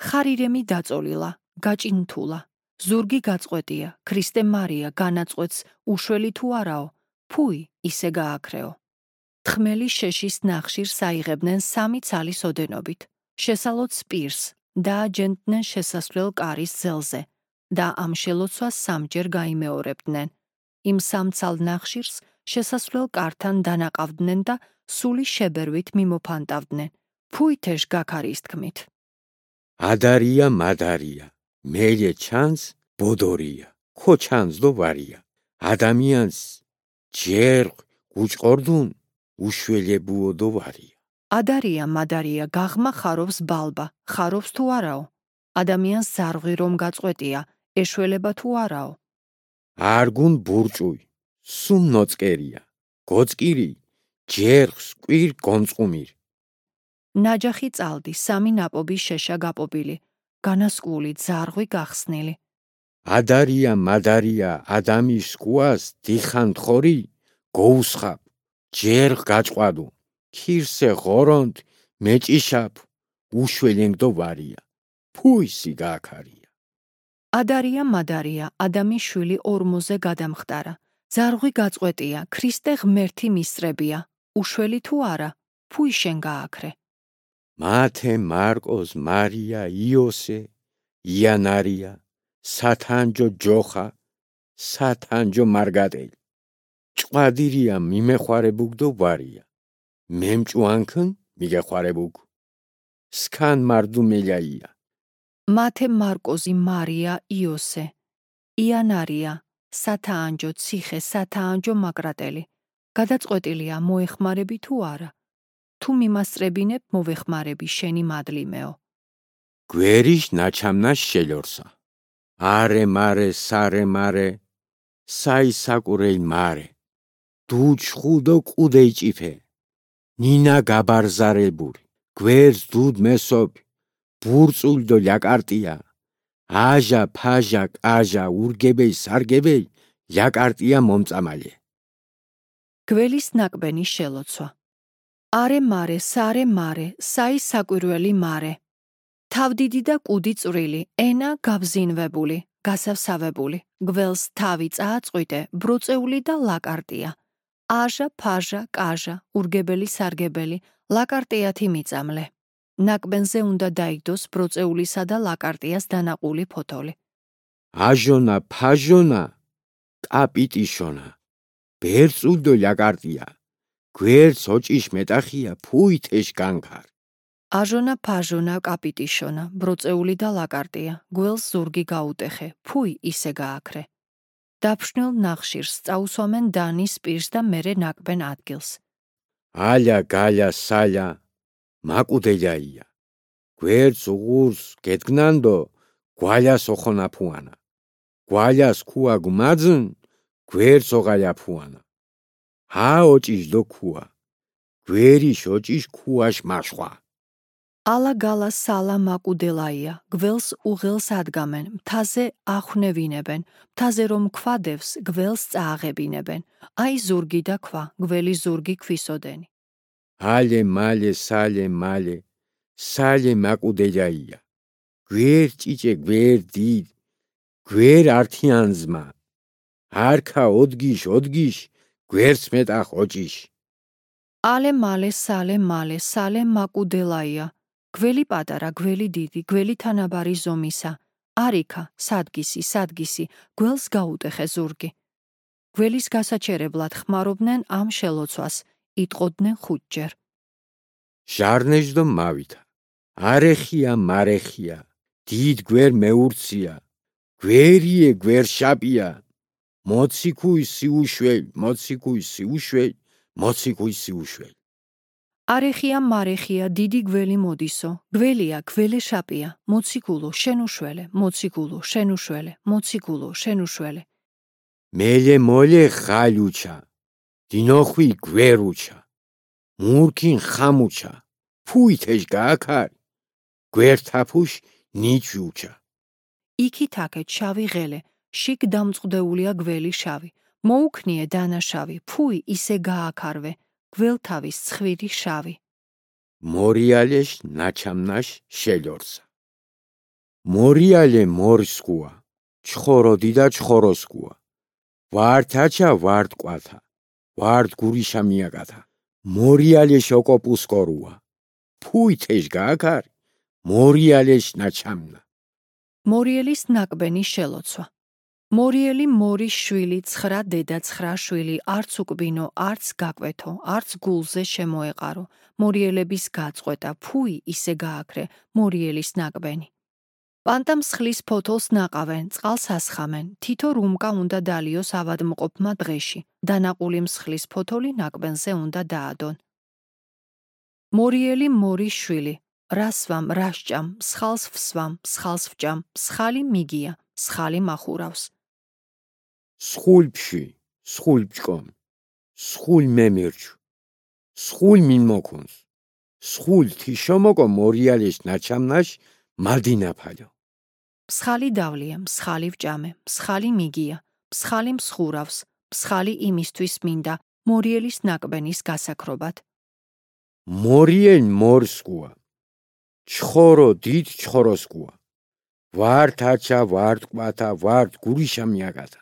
ხარირემი დაწოლილა, გაჭინთულა. ზურგი გაწყვეტია, ქრისტე მარია განაწყვეტს, უშველი თუ არაო, ფუი ისე გააქრეო. თხმელი შეშის ნახშირს აიღებდნენ სამი ცალის ოდენობით. შესალოც პირს, დააჯენდნენ შესასვლელ კარის ძელზე და ამ შელოცვას სამჯერ გაიმეორებდნენ. იმ სამცალ ნახშირს შესასვლელ კართან დანაყავდნენ და სული შებერვით მიმოფანტავდნენ. ფუი თეშ გაქარის თქმით. ადარია მადარია, მელე ჩანს ბოდორია, ხო ჩანსდო ვარია. ადამიანს ჯერ გუჭყორდუნ, უშველებუოდო ვარია. ადარია მადარია გაღმა ხარობს ბალბა, ხარობს თუ არაო? ადამიანს ზარღვი რომ გაწყვეტია, ეშველება თუ არაო? არგუნ ბურჭუй, სუმ ნოწკერია, გოწკირი, ჯერხს კვირ გონწყუმիր. ნაჯახი წალდი, სამი ნაპობი შეშა გაპობილი, განასკული ზარღვი გახსნილი. ადარია მადარია ადამის სკუას დიხან თხორი, გოუსხაპ, ჯერხ გაჭყვადუ, ქირსე ღორონთ, მეჭიშაპ, უშველენგდო ვარია, ფუისი გააქარია. ადარია მადარია ადამის შვილი ორმოზე გადამხტარა, ზარღვი გაწყვეტია, ქრისტე ღმერთი მისწრებია, უშველი თუ არა, ფუი შენ გააქრე. მათე მარკოს მარია იოსე იანარია სათანჯო ჯოხა სათანჯო მარგატელი ჭყვადირია მიმეხوارებუგდო ვარია მემჭუანქն მიგეხوارებუგ სკან მარდუმელაია მათე მარკოზი მარია იოსე იანარია სათანჯო ციხე სათანჯო მაგრატელი გადაწყვეტილია მოეხმარები თუ არა თუ მიმასწრებინებ მოვეხმარები შენი მადლიმეო. გვერიშ ნაჩამნას შელორსა არე მარე სარე მარე საი საკურეი მარე დუჩხუდო ყუდეიჭიფე ნინა გაბარზარებური გვერს დუდ მესობ ბურწულდო ლაკარტია აჟა ფაჟა კაჟა ურგებეი სარგებეი ლაკარტია მომწამალე გველის ნაკბენი შელოცვა არე მარე სარე მარე საი საკვირველი მარე თავდიდი და კუდი წვრილი ენა გაბზინვებული გასავსავებული გველს თავი წააწყვიტე ბრუწეული და ლაკარტია აჟა ფაჟა კაჟა ურგებელი სარგებელი ლაკარტიათი მიწამლე ნაკბენზე უნდა დაიგდოს ბროწეულისა და ლაკარტიას დანაყული ფოთოლი აჟონა ფაჟონა კაპიტიშონა ბერწულდო ლაკარტია გვერც ოჭიშ მეტახია ფუითეშ განქარ აჟონა ფაჟონა კაპიტიშონა ბროწეული და ლაკარტია გველს ზურგი გაუტეხე ფუი ისე გააქრე დაფშნილ ნახშირს წაუსვამენ დანის პირს და მერე ნაკბენ ადგილს ალა გალა სალა მაკუდელაია გვერც უღურს გედგნანდო გვალას ოხონაფუანა გვალას ქუა გმაძნ გვერც ოღალაფუანა ჰა ოჭიშ დო ქუა გვერიშ ოჭიშ ქუაშ მაშხვა ალა გალა სალა მაკუდელაია გველს უღელს ადგამენ მთაზე ახვნევინებენ მთაზე რომ ქვადევს გველს წააღებინებენ აი ზურგი და ქვა გველი ზურგი ქვისოდენი ალე მალე სალე მალე სალე მაკუდელაია გვერ ჭიჭე გვერ დიდ გვერ ართიანზმა არქა ოდგიშ ოდგიშ გვერც მეტახ ოჭიშ ალე მალე სალე მალე სალე მაკუდელაია გველი პატარა გველი დიდი გველი თანაბარი ზომისა არიქა სადგისი სადგისი გველს გაუტეხე ზურგი გველის გასაჩერებლად ხმარობდნენ ამ შელოცვას იტყოდნენ ხუთჯერ ჟარნეჟდო მავითა არეხია მარეხია დიდ გვერ მეურცია გვერიე გვერშაპია მოციქუი სიუშველ მოციქუი სიუშველ მოციქუი სიუშველ არეხია მარეხია დიდი გველი მოდისო გველია გველე შაპია მოციქულო შენუშველე მოციქულო შენუშველე მოციქულო შენუშველე მელე მოლე ხალუჩა დინოხვი გვერუჩა მურქინ ხამუჩა ფუითეშ გააქარი გვერთაფუშ ნიჩუჩა იქითაკე შავი ღელე შიგ დამწყდეულია გველი შავი მოუქნიე დანაშავი ფუი ისე გააქარვე გველთავის ცხვირი შავი მორიალეშ ნაჩამნაშ შელორსა მორიალე მორსკუა ჩხოროდი და ჩხოროსკუა ვართაჩა ვარტყვათა ვარტ გურიშა მიაკათა მორიალეშ ოკოპუსკორუა ფუითეშ გააქარი მორიალეშ ნაჩამნა მორიელის ნაკბენი შელოცვა მორიელი მორის შვილი ცხრა დედა ცხრა შვილი არც უკბინო არც გაკვეთო არც გულზე შემოეყარო მორიელების გაწყვეტა ფუი ისე გააქრე მორიელის ნაკბენი პანტამ მსხლის ფოთოლს ნაყავენ წყალს ასხამენ თითო რუმკა უნდა დალიოს ავადმყოფმა დღეში დანაყული მსხლის ფოთოლი ნაკბენზე უნდა დაადონ მორიელი მორის შვილი, რასვამ, რასჭამ, მსხალს ვსვამ, მსხალს ვჭამ, მსხალი მიგია, მსხალი მახურავს. სხულფში, სხულფჭკომ, სხულ მემირჩ, სხულ მინმოქუნს, სხულ თიშომოკო მორიალის ნაჩამნაშ მალდინაფალო. მსხალი დავლია, მსხალი ვჭამე, მსხალი მიგია, მსხალი მსხურავს, მსხალი იმისთვის მინდა, მორიელის ნაკბენის გასაქრობად. მორიელ მორსკუა, ჩხორო დიდ ჩხოროსკუა, ვართ აჩა, ვართ კვათა, ვართ გურიშა მიაკათა.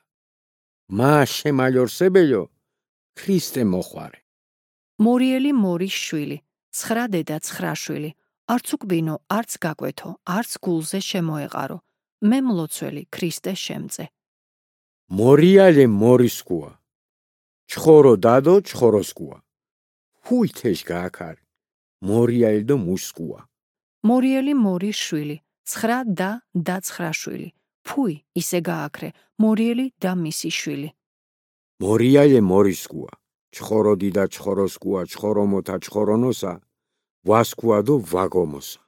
მა შემალორსებელო, ქრისტე მოხვარე. მორიელი მორის შვილი, ცხრა დედა ცხრა შვილი, არც უკბინო, არც გაკვეთო, არც გულზე შემოეყარო, მე მლოცველი ქრისტე შემწე. მორიალე მორისკუა, ჩხორო დადო ჩხოროსკუა, ჰუй თეშ გააქარ, მორიალე დო მუშსკუა. მორიელი მორის შვილი, ცხრა და და ცხრა შვილი, ფუй ისე გააქრე, მორიელი და მისი შვილი. მორიალე მორისკუა, ჩხორო დიდა ჩხოროსკუა, ჩხორომოთა ჩხორონოსა, ვასკუა დო ვაგომოსა.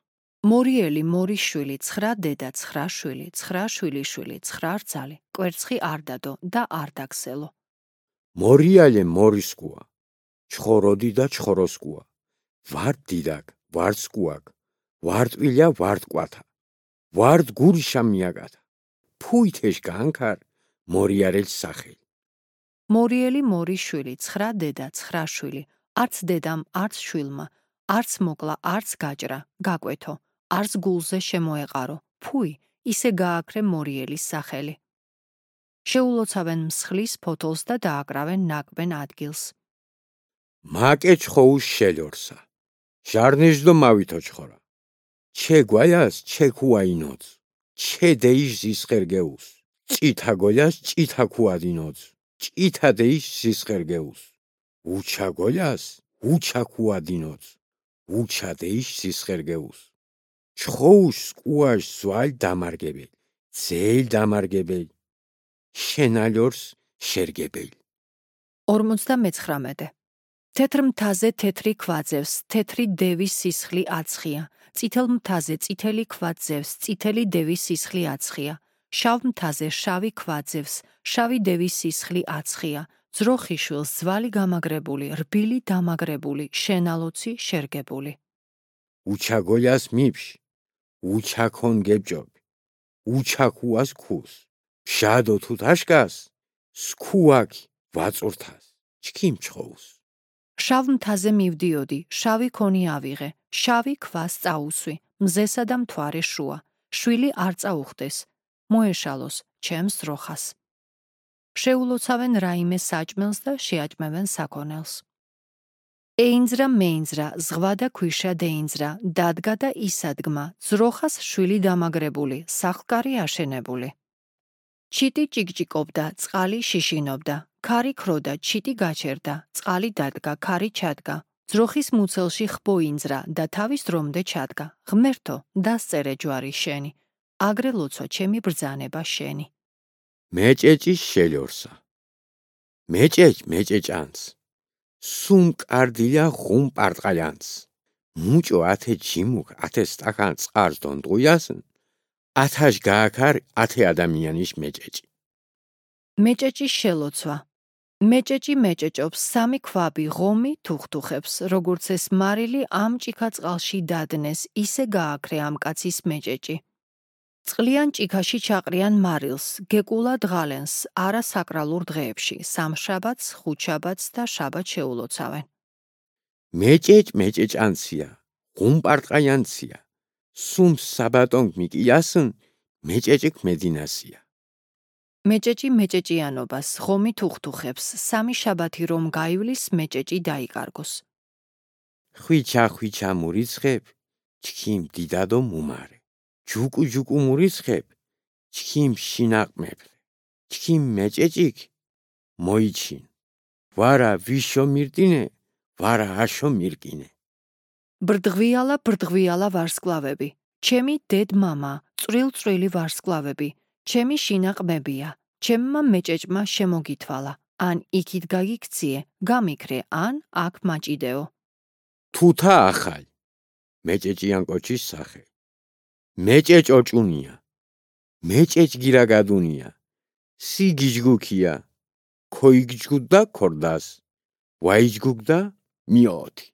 მორიელი მორის შვილი, ცხრა დედა ცხრა შვილი, ცხრა შვილი შვილი, ცხრა რძალი, კვერცხი არ დადო და არ დაგსელო. მორიალე მორისკუა, ჩხორო დიდა ჩხოროსკუა, ვართ დიდაკ, ვართ სკუაკ, ვართ ვილია ვართ კვათა, ვართ გურიშა მიაკათა. ფუй თეშ გაანქარ, მორიალეს სახელი. მორიელი მორის შვილი, ცხრა დედა ცხრა შვილი, არც დედამ, არც შვილმა, არც მოკლა, არც გაჭრა, გაკვეთო, არც გულზე შემოეყარო, ფუй ისე გააქრე მორიელის სახელი. შეულოცავენ მსხლის ფოთოლს და დააკრავენ ნაკბენ ადგილს. მაკე ჩხოუს შელორსა, ჟარნეშ დო მავითო ჩხორა. ჩე გვაიას ჩე ქუაინოც, ჩე დეიშ ზისხერგეუს, ჭითა გოლიას ჭითა ქუადინოც, ჭითა დეიშ ზისხერგეუს, უჩა გოლიას უჩა ქუადინოც, უჩა დეიშ ზისხერგეუს. ჩხოუს სკუაშ ზვალ დამარგებელ, ძელ დამარგებელ, შენალორს შერგებელ. ორმოცდამეცხრამეტე. თეთრ მთაზე თეთრი ქვა ძევს, თეთრი დევის სისხლი აცხია, წითელ მთაზე წითელი ქვა ძევს, წითელი დევის სისხლი აცხია, შავ მთაზე შავი ქვა ძევს, შავი დევის სისხლი აცხია, ძროხი შვილს ძვალი გამაგრებული, რბილი დამაგრებული, შენალოცი შერგებული. უჩა გოლიას მიფშ, უჩა ქონ გებჭობი, უჩა ქუას ქუს, ფშადო თუთაშკას, სქუაკი ვაწურთას, ჩქიმ ჩხოუს. შავ მთაზე მივდიოდი, შავი ქონი ავიღე, შავი ქვას წაუსვი, მზესა და მთვარე შუა, შვილი არ წაუხდეს, მოეშალოს ჩემს ძროხას. შეულოცავენ რაიმე საჭმელს და შეაჭმევენ საქონელს. ეინძრა მეინძრა, ზღვა და ქვიშა დეინძრა, დადგა და ისადგმა, ძროხას შვილი დამაგრებული, სახლკარი აშენებული. ჩიტი ჭიკჭიკობდა, წყალი შიშინობდა, ქარი ქროდა, ჩიტი გაჩერდა, წყალი დადგა, ქარი ჩადგა, ძროხის მუცელში ხბოინძრა და თავის დრომდე ჩადგა, ღმერთო, დასწერე ჯვარი შენი, აგრე ლოცვა ჩემი ბრძანება შენი. მეჭეჭის შელორსა, მეჭეჭ მეჭეჭანს, სუმ კარდილია ხუმ პარტყალიანს, მუჭო ათე ჯიმუქ ათე სტაკან წყარს დონტყუიასն, ათაშ გააქარ ათე ადამიანის მეჭეჭი. მეჭეჭის შელოცვა. მეჭეჭი მეჭეჭობს, სამი ქვაბი ღომი თუხთუხებს, როგორც ეს მარილი ამ ჭიქა წყალში დადნეს, ისე გააქრე ამ კაცის მეჭეჭი. წყლიან ჭიქაში ჩაყრიან მარილს, გეკულა დღალენს, არა საკრალურ დღეებში, სამშაბათს, ხუთშაბათს და შაბათს შეულოცავენ. მეჭეჭ მეჭეჭანცია, ხუმ პარტყალიანცია, სუმ საბატონგ მიკიასն, მეჭეჭიქ მედინასია. მეჭეჭი მეჭეჭიანობას, ღომი თუხთუხებს, სამი შაბათი რომ გაივლის, მეჭეჭი დაიკარგოს. ხვიჩა ხვიჩა მურიცხებ, ჩქიმ დიდადო მუმარე. ჯუკუ ჯუკუ მურიცხებ, ჩქიმ შინაყმებრე. ჩქიმ მეჭეჭიქ მოიჩინ. ვარა ვიშო მირტინე, ვარა აშო მირკინე. ბრდღვიალა ბრდღვიალა ვარსკვლავები, ჩემი დედ მამა, წვრილ წვრილი ვარსკვლავები, ჩემი შინაყმებია, ჩემმა მეჭეჭმა შემოგითვალა, ან იქით გაგიქციე, გამიქრე, ან აქ მაჭიდეო. თუთა ახალი მეჭეჭიან კოჩის სახე მეჭეჭ ოჭუნია მეჭეჭ გირაგადუნია სიგიჯგუქია ქოიგჯგუდა ქორდას ვაიჯგუგდა მიოთი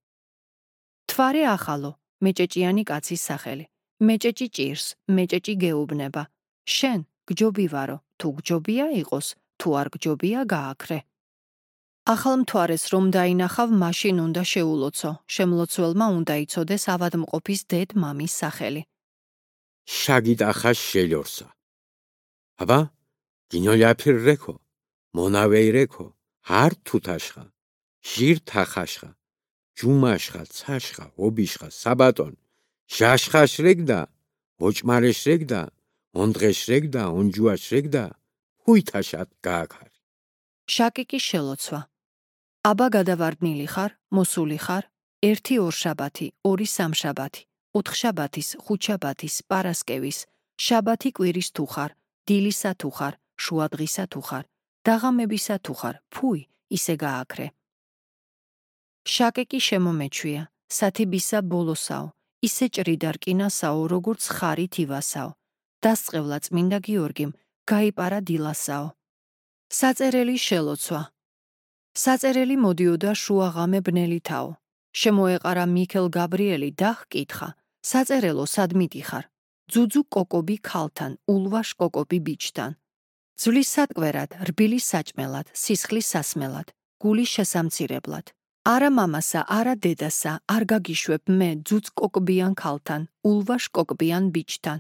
თვარე ახალო მეჭეჭიანი კაცის სახელი მეჭეჭი ჭირს მეჭეჭი გეუბნება შენ გჯობი ვარო თუ გჯობია იყოს თუ არ გჯობია გააქრე ახალ მთვარეს რომ დაინახავ მაშინ უნდა შეულოცო შემლოცველმა უნდა იცოდეს ავადმყოფის დედ მამის სახელი შაგით ახას შელორსა აბა გინოლიაფირ რეკო მონავეი რეკო არ თუთაშხა ჟირ თახაშხა ჯუმაშხა ცაშხა ობიშხა საბატონ ჟაშხაშ რეგდა ოჭმარეშ რეგდა ონდღეშ რეგდა ონჯუაშ რეგდა ჰუითაშად გააქარი შაკიკი შელოცვა აბა გადავარდნილი ხარ მოსული ხარ ერთი ორშაბათი ორი სამშაბათი ოთხშაბათის ხუთშაბათის პარასკევის შაბათი კვირის თუ ხარ დილისა თუ ხარ შუადღისა თუ ხარ დაღამებისა თუ ხარ ფუი ისე გააქრე შაკიკი შემომეჩვია სათიბისა ბოლოსაო ისე ჭრიდარკინასაო როგორც ხარით ივასაო დასწყევლა წმინდა გიორგიმ გაიპარა დილასაო საწერელი შელოცვა საწერელი მოდიოდა შუაღამე ბნელითაო შემოეყარა მიქელ გაბრიელი და ჰკითხა საწერელო სადმიტი ხარ ძუძუ კოკობი ქალთან ულვაშ კოკობი ბიჭთან ძვლის სატკვერად რბილის საჭმელად სისხლის სასმელად გულის შესამცირებლად არა მამასა არა დედასა არ გაგიშვებ მე ძუძ კოკბიან ქალთან ულვაშ კოკბიან ბიჭთან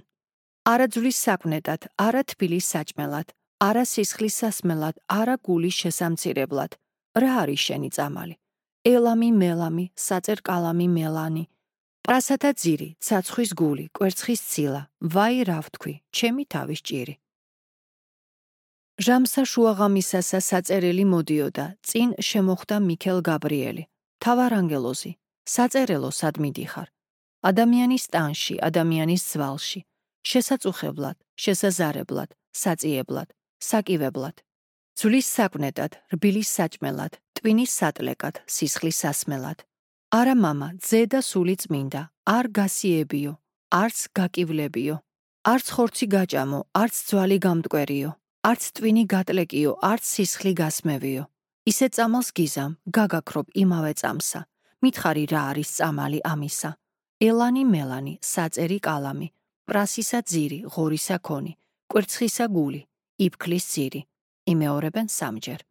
არა ძვლის საკვნედად არა თბილის საჭმელად არა სისხლის სასმელად არა გულის შესამცირებლად რა არის შენი წამალი ელამი მელამი საწერ კალამი მელანი პრასათა ძირი ცაცხვის გული კვერცხის ცილა ვაი რა ვთქვი ჩემი თავის ჭირი ჟამსა შუაღამისასა საწერელი მოდიოდა წინ შემოხვდა მიქელ გაბრიელი თავარანგელოზი საწერელო სადმიდი ხარ ადამიანის ტანში ადამიანის ძვალში შესაწუხებლად შესაზარებლად საწიებლად საკივებლად ძვლის საკვნედად რბილის საჭმელად ტვინის სატლეკად სისხლის სასმელად არა მამა ძე და სული წმინდა არ გასიებიო არც გაკივლებიო არც ხორცი გაჭამო არც ძვალი გამტკვერიო არც ტვინი გატლეკიო არც სისხლი გასმევიო ისე წამალს გიზამ გაგაქრობ იმავე წამსა მითხარი რა არის წამალი ამისა ელანი მელანი საწერი კალამი პრასისა ძირი ღორისა ქონი კვერცხისა გული იფქლის ძირი იმეორებენ სამჯერ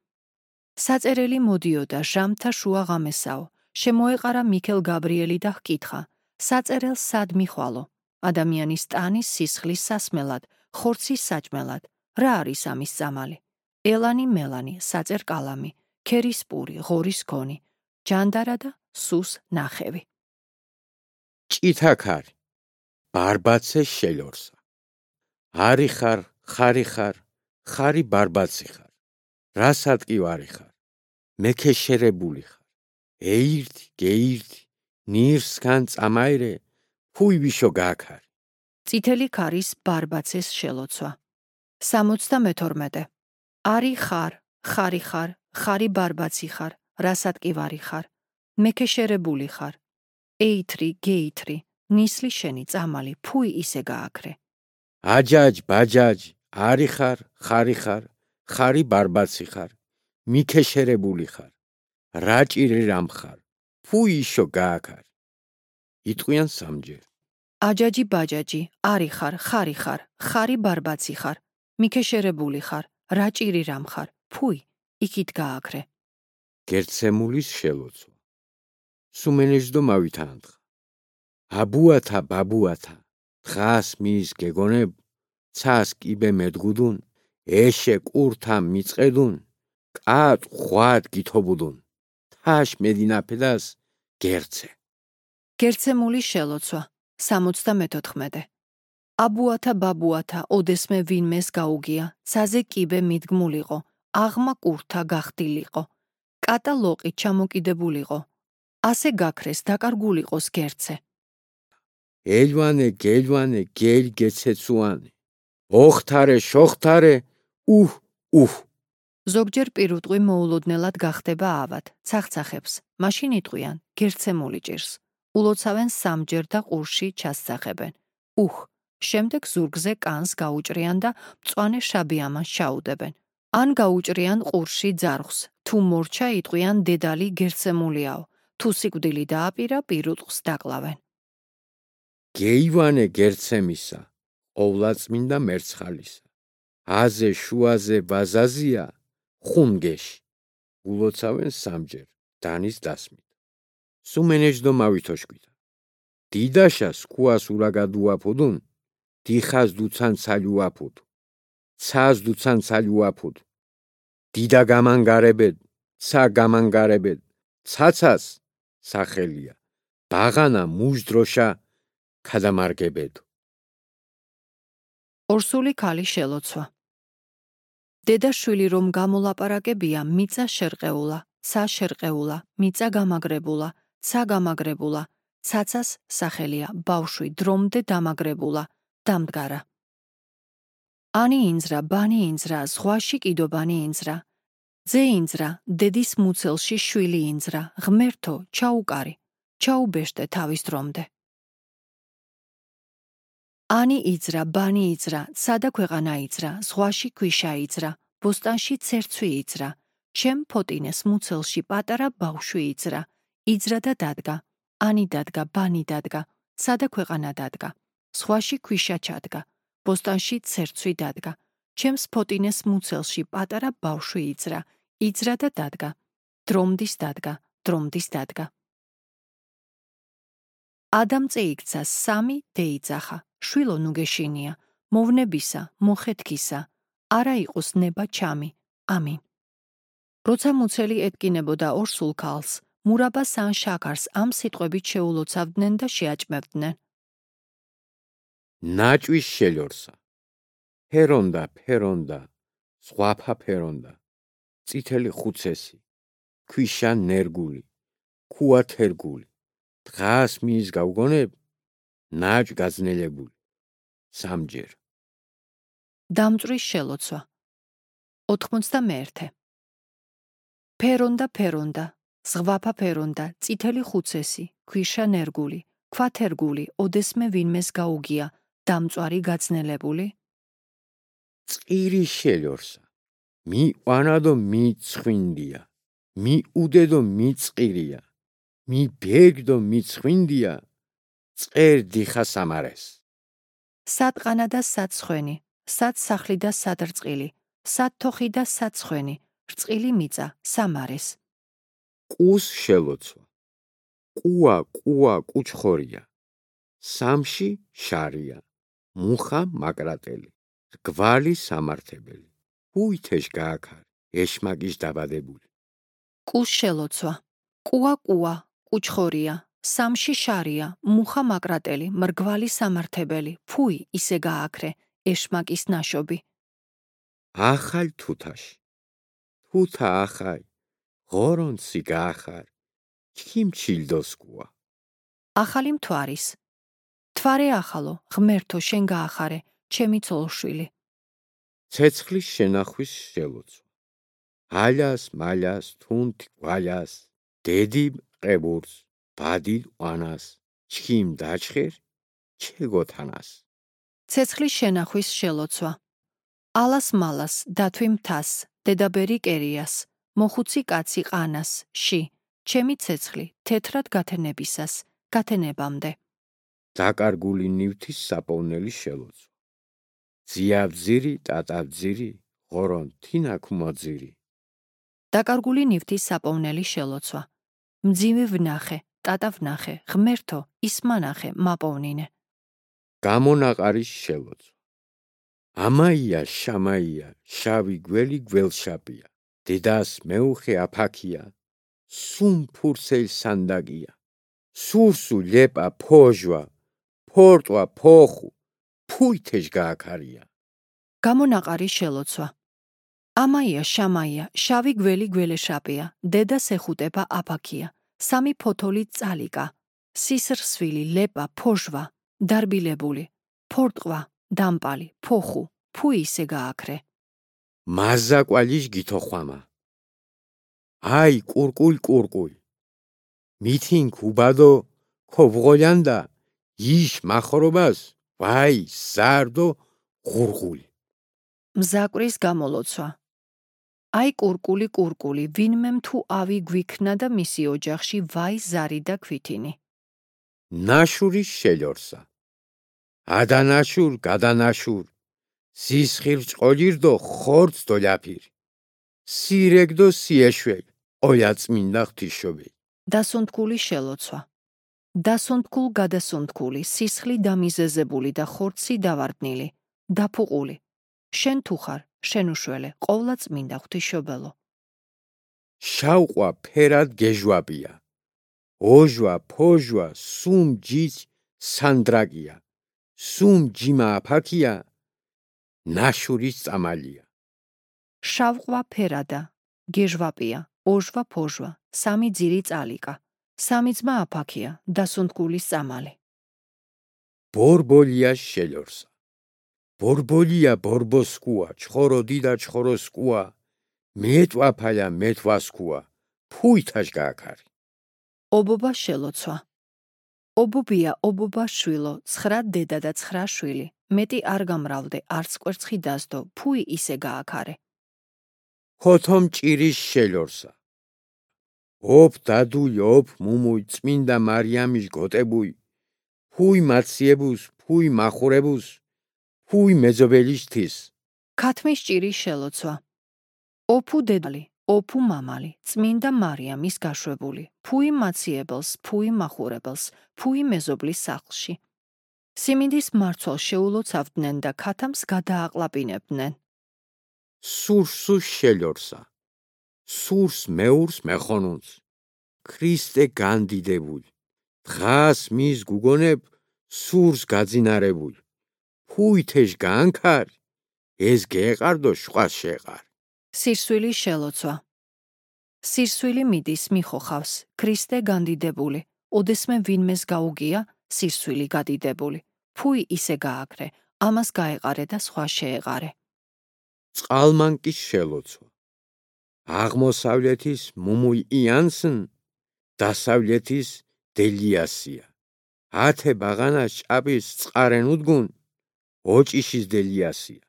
საწერელი მოდიოდა ჟამთა შუაღამესაო შემოეყარა მიქელ გაბრიელი და ჰკითხა საწერელს სად მიხვალო ადამიანის ტანის სისხლის სასმელად ხორცის საჭმელად რა არის ამის წამალი ელანი მელანი საწერ კალამი ქერის პური ღორის ქონი ჯანდარა და სუს ნახევი ჭითაქარი ბარბაცე შელორსა არი ხარ ხარი ხარ ხარი ბარბაცი ხარ რასატკი ვარი ხარ მექეშერებული ხარ ეირთი გეირთი ნირსგან წამაირე ფუი ვიშო გააქარი წითელი ქარის ბარბაცეს შელოცვა სამოცდამეთორმეტე არი ხარ ხარი ხარ ხარი ბარბაცი ხარ რასატკი ვარი ხარ მექეშერებული ხარ ეითრი გეითრი ნისლი შენი წამალი ფუი ისე გააქრე აჯაჯ ბაჯაჯ არი ხარ ხარი ხარ ხარი ბარბაცი ხარ მიქეშერებული ხარ რაჭირი რამ ხარ ფუი ისო გააქარი იტყვიან სამჯერ აჯაჯი ბაჯაჯი არი ხარ ხარი ხარ ხარი ბარბაცი ხარ მიქეშერებული ხარ რაჭირი რამ ხარ ფუი იქით გააქრე გერცემულის შელოცვა სუმენეჟდო მავითანთხა აბუათა ბაბუათა დღას მის გეგონებ ცას კიბე მედგუდუნ ეშე კურთა მიწედუნ კატ ხვად გითობუდუნ თაშ მედინაფედას გერცე გერცემული შელოცვა სამოცდამეთოთხმეტე აბუათა ბაბუათა ოდესმე ვინმეს გაუგია ცაზე კიბე მიდგმულიყო აღმა კურთა გახდილიყო კატა ლოყი ჩამოკიდებულიყო ასე გაქრეს დაკარგულიყოს გერცე ელვანე გელვანე გელ გეცეცუანე ოხთარე შოხთარე უჰ უჰ ზოგჯერ პირუტყვი მოულოდნელად გახდება ავად, ცახცახებს, მაშინ იტყვიან გერცემული ჭირს. ულოცავენ სამჯერ და ყურში ჩასძახებენ. უხ, შემდეგ ზურგზე კანს გაუჭრიან და მწვანე შაბი ამას ჩაუდებენ. ან გაუჭრიან ყურში ძარღვს, თუ მორჩა იტყვიან დედალი გერცემულიაო, თუ სიკვდილი დააპირა პირუტყვს დაკლავენ. გეივანე გერცემისა, ყოვლადწმინდა მერცხალისა. აზე შუაზე ბაზაზია, ხუნგეში. ულოცავენ სამჯერ, დანის დასმით. სუმენეჯდო მავითოშკვიდა. დიდაშას კუას ურაგადუაფუდუნ, დიხას დუცან ცალიუაფუდ. ცას დუცან ცალიუაფუდ. დიდა გამანგარებედ, ცა გამანგარებედ, ცაცას სახელია. ბაღანა მუჟდროშა ქადამარგებედო. ორსული ქალი შელოცვა. დედა შვილი რომ გამოლაპარაკებია, მიწა შერყეულა, ცა შერყეულა, მიწა გამაგრებულა, ცა გამაგრებულა, ცაცას სახელია, ბავშვი დრომდე დამაგრებულა, დამდგარა. ანი ინძრა, ბანი ინძრა, ზღვაში კიდობანი ინძრა. ძე ინძრა, დედის მუცელში შვილი ინძრა, ღმერთო, ჩაუკარი, ჩაუბეშტე თავის დრომდე. ანი იძრა, ბანი იძრა, სადა ქვეყანა იძრა, ზღვაში ქვიშა იძრა, ბოსტანში ცერცვი იძრა, ჩემ ფოტინეს მუცელში პატარა ბავშვი იძრა, იძრა და დადგა, ანი დადგა, ბანი დადგა, სადა ქვეყანა დადგა, ზღვაში ქვიშა ჩადგა, ბოსტანში ცერცვი დადგა, ჩემს ფოტინეს მუცელში პატარა ბავშვი იძრა, იძრა და დადგა, დრომდის დადგა, დრომდის დადგა. ადამწე იქცა სამი დეიძახა. შვილო ნუგეშინია, მოვნებისა, მოხეთქისა, არა იყოს ნება ჩამი, ამინ. როცა მუცელი ეთკინებოდა ორსულ ქალს, მურაბას ან შაქარს ამ სიტყვებით შეულოცავდნენ და შეაჭმევდნენ. ნაჭვის შელორსა, ფერონდა, ფერონდა, ზღვაფა ფერონდა, წითელი ხუცესი, ქვიშა ნერგული, ქუა თერგული, დღას მიის გავგონებ, ნაჭ გაძნელებული, სამჯერ. დამწვრის შელოცვა. ოთხმოცდამეერთე. ფერონდა, ფერონდა, ზღვაფა ფერონდა, წითელი ხუცესი, ქვიშა ნერგული, ქვა თერგული, ოდესმე ვინმეს გაუგია, დამწვარი გაძნელებული. წყირი შელორსა, მი ყვანადო მი ცხვინდია, მი უდედო მი წყირია, მი ბეგდო მი ცხვინდია, წერ დიხა სამარეს. სად ყანა და სად ცხენი, სად სახლი და სად რწყილი, სად თოხი და სად ცხენი, რწყილი მიწა, სამარეს. ყუს შელოცვა. ყუა, ყუა, კუჩხორია. სამში შარია. მუხა მაკრატელი. რგვალი სამართებელი. უითეშ გააქარი, ეშმაკის დაბადებული. ყუს შელოცვა. ყუა, ყუა, კუჩხორია. სამში შარია, მუხა მაკრატელი, მრგვალი სამართებელი, ფუი ისე გააქრე, ეშმაკის ნაშობი. ახალ თუთაში. თუთა ახალ, ღორონცი გაახარ, ჩქიმ ჩილდოსკუა. ახალი მთვარის. თვარე ახალო, ღმერთო შენ გაახარე, ჩემი ცოლშვილი. ცეცხლის შენახვის შელოცვა. ალას, მალას, თუნთ, გვალას, დედიმ ყებურს, ბადილ ყვანას, ჩქიმ დაჩხერ, ჩეგოთანას. ცეცხლის შენახვის შელოცვა. ალას მალას, დათვი მთას, დედაბერი კერიას, მოხუცი კაცი ყანას, ში, ჩემი ცეცხლი, თეთრად გათენებისას, გათენებამდე. დაკარგული ნივთის საპოვნელი შელოცვა. ძიაბძირი, ტატაბძირი, ღორონ თინაქუმოძირი. დაკარგული ნივთის საპოვნელი შელოცვა. მძივი ვნახე, ტატა ვნახე, ღმერთო, ისმანახე, მაპოვნინე. გამონაყარის შელოცვა. ამაია, შამაია, შავი გველი გველშაპია, დედას მეუხე აფაქია, სუმ ფურსელ სანდაგია, სურსუ ლეპა ფოჟვა, ფორტვა ფოხუ, ფუითეშ გააქარია. გამონაყარის შელოცვა. ამაია, შამაია, შავი გველი გველეშაპია, დედას ეხუტება აფაქია, სამი ფოთოლი წალიკა, სისრსვილი, ლეპა, ფოჟვა, დარბილებული, ფორტყვა, დამპალი, ფოხუ, ფუი ისე გააქრე. მაზაკვალიშ გითოხვამა. აი, კურკულ კურკულ. მითინ ქუბადო ქობღოლანდა იშ მახრობას, ვაი, ზარდო ღურღული. მზაკრის გამოლოცვა. აი კურკული კურკული, ვინმემ თუ ავი გვიქნა და მისი ოჯახში ვაი ზარი და ქვითინი. ნაშურის შელორსა. ადანაშურ, გადანაშურ. სისხილ ჭყოლირდო ხორც დოლაფիր. სირეგდო სიეშველ, ყოლა წმინდა ღვთისმშობელი. დასუნთქული შელოცვა. დასუნთქულ გადასუნთქული, სისხლი დამიზეზებული და ხორცი დავარდნილი, დაფუყული. შენ თუ ხარ, შენ უშველე, ყოლა წმინდა ღვთისმშობელო. შავყვა ფერად გეჟვაბია. ოჟვა, ფოჟვა, სუმ ჯიც სანდრაკია. სუმ ჯიმა აფაქია, ნაშურის წამალია. შავყვა ფერადა, გეჟვაპია, ოჟვა ფოჟვა, სამი ძირი წალიკა. სამი ძმა აფაქია, დასუნთქულის წამალი. ბორბოლია შელორსა. ბორბოლია ბორბოსკუა, ჩხოროდი და ჩხოროსკუა. მეტვაფაля მეტვასკუა, ფუითაშ გააქარი. ობობა შელოცვა. ობობია ობობა შვილო, ცხრა დედა და ცხრა შვილი. მეტი არ გამრავლდე, არც კვერცხი დასდო, ფუი ისე გააქარე. ხოთომ ჭირის შელორსა. ოფ დადუი, ოფ მუმუი, წმინდა მარიამის გოტებუი. ფუი მაციებუს, ფუი მახურებუს, ფუი მეძობელიშთის. ქათმის ჭირის შელოცვა. ოფუ დედალი, ოფუ მამალი, წმინდა მარიამის გაშვებული. ფუი მაციებელს, ფუი მახურებელს, ფუი მეზობლის სახლში. სიმინდის მარცვალ შეულოცავდნენ და ქათამს გადააყლაპინებდნენ. სურსუ შელორსა. სურს მეურს მეხონუნს. ქრისტე განდიდებული. დღას მის გუგონებ სურს გაძინარებული. ფუითეშ გაანქარ, ეს გეყარდო შვას შეყარ. სირსვილი შელოცვა. სირსვილი მიდის მიხოხავს, ქრისტე განდიდებული. ოდესმე ვინმეს გაუგია, სირსვილი გადიდებული. ფუი ისე გააქრე, ამას გაეყარე და სხვა შეეყარე. წყალმანკის შელოცვა. აღმოსავლეთის მუმუი იანსნ, დასავლეთის დელიასია. ათე ბაღანას ჭაბის წყარენ უდგუნ, ოჭიშის დელიასია.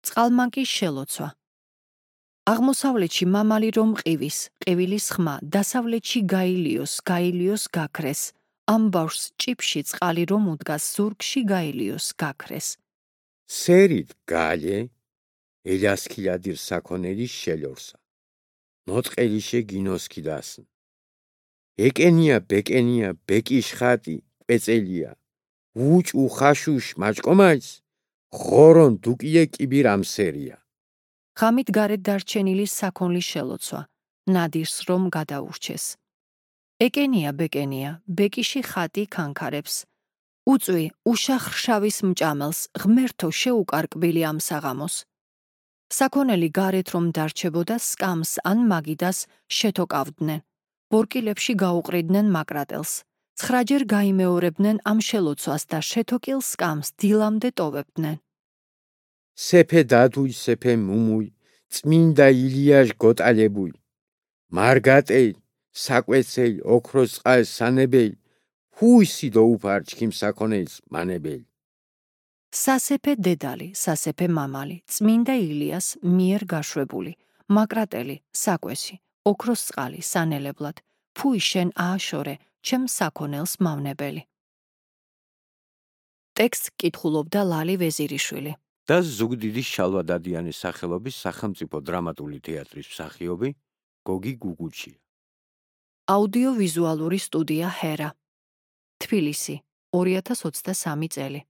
წყალმანკის შელოცვა. აღმოსავლეთში მამალი რომ ყივის, ყივილის ხმა, დასავლეთში გაილიოს, გაილიოს გაქრეს. ამ ბავშვს ჭიფში წყალი რომ უდგას, ზურგში გაილიოს, გაქრეს. სერით გალე, ელასქილადირ საქონელის შელორსა. ნოტყელიშე გინოსქიდასნ. ეკენია ბეკენია, ბეკიშ ხატი, კვეწელია. უჭ უხაშუშ მაჭკომაის, ხორონ დუკიე კიბირ ამსერია. ღამით გარეთ დარჩენილი საქონლის შელოცვა. ნადირს რომ გადაურჩეს. ეკენია ბეკენია, ბეკიში ხატი ქანქარებს. უწვი უშახრშავის მჭამელს, ღმერთო შეუკარკბილი ამ საღამოს. საქონელი გარეთ რომ დარჩებოდა, სკამს ან მაგიდას შეთოკავდნენ. ბორკილებში გაუყრიდნენ მაკრატელს. ცხრაჯერ გაიმეორებდნენ ამ შელოცვას და შეთოკილ სკამს დილამდე ტოვებდნენ. სეფე დადუი, სეფე მუმუი, წმინდა ილიაშ გოტალებუი. მარგატეი, საკვეცეი, ოქროს წყალ სანებეი, ფუისი დაუფარ ჩქიმ საქონეის მანებელი. სასეფე დედალი, სასეფე მამალი, წმინდა ილიას მიერ გაშვებული, მაკრატელი, საკვესი, ოქროს წყალი სანელებლად, ფუი შენ ააშორე, ჩემ საქონელს მავნებელი. ტექსტს კითხულობდა ლალი ვეზირიშვილი. და ზუგდიდის შალვადადიანის სახელობის სახელმწიფო დრამატული თეატრის მსახიობი გოგი გუგუჩია. აუდიო-ვიზუალური სტუდია ჰერა. თბილისი, ორი ათას ოცდასამი წელი.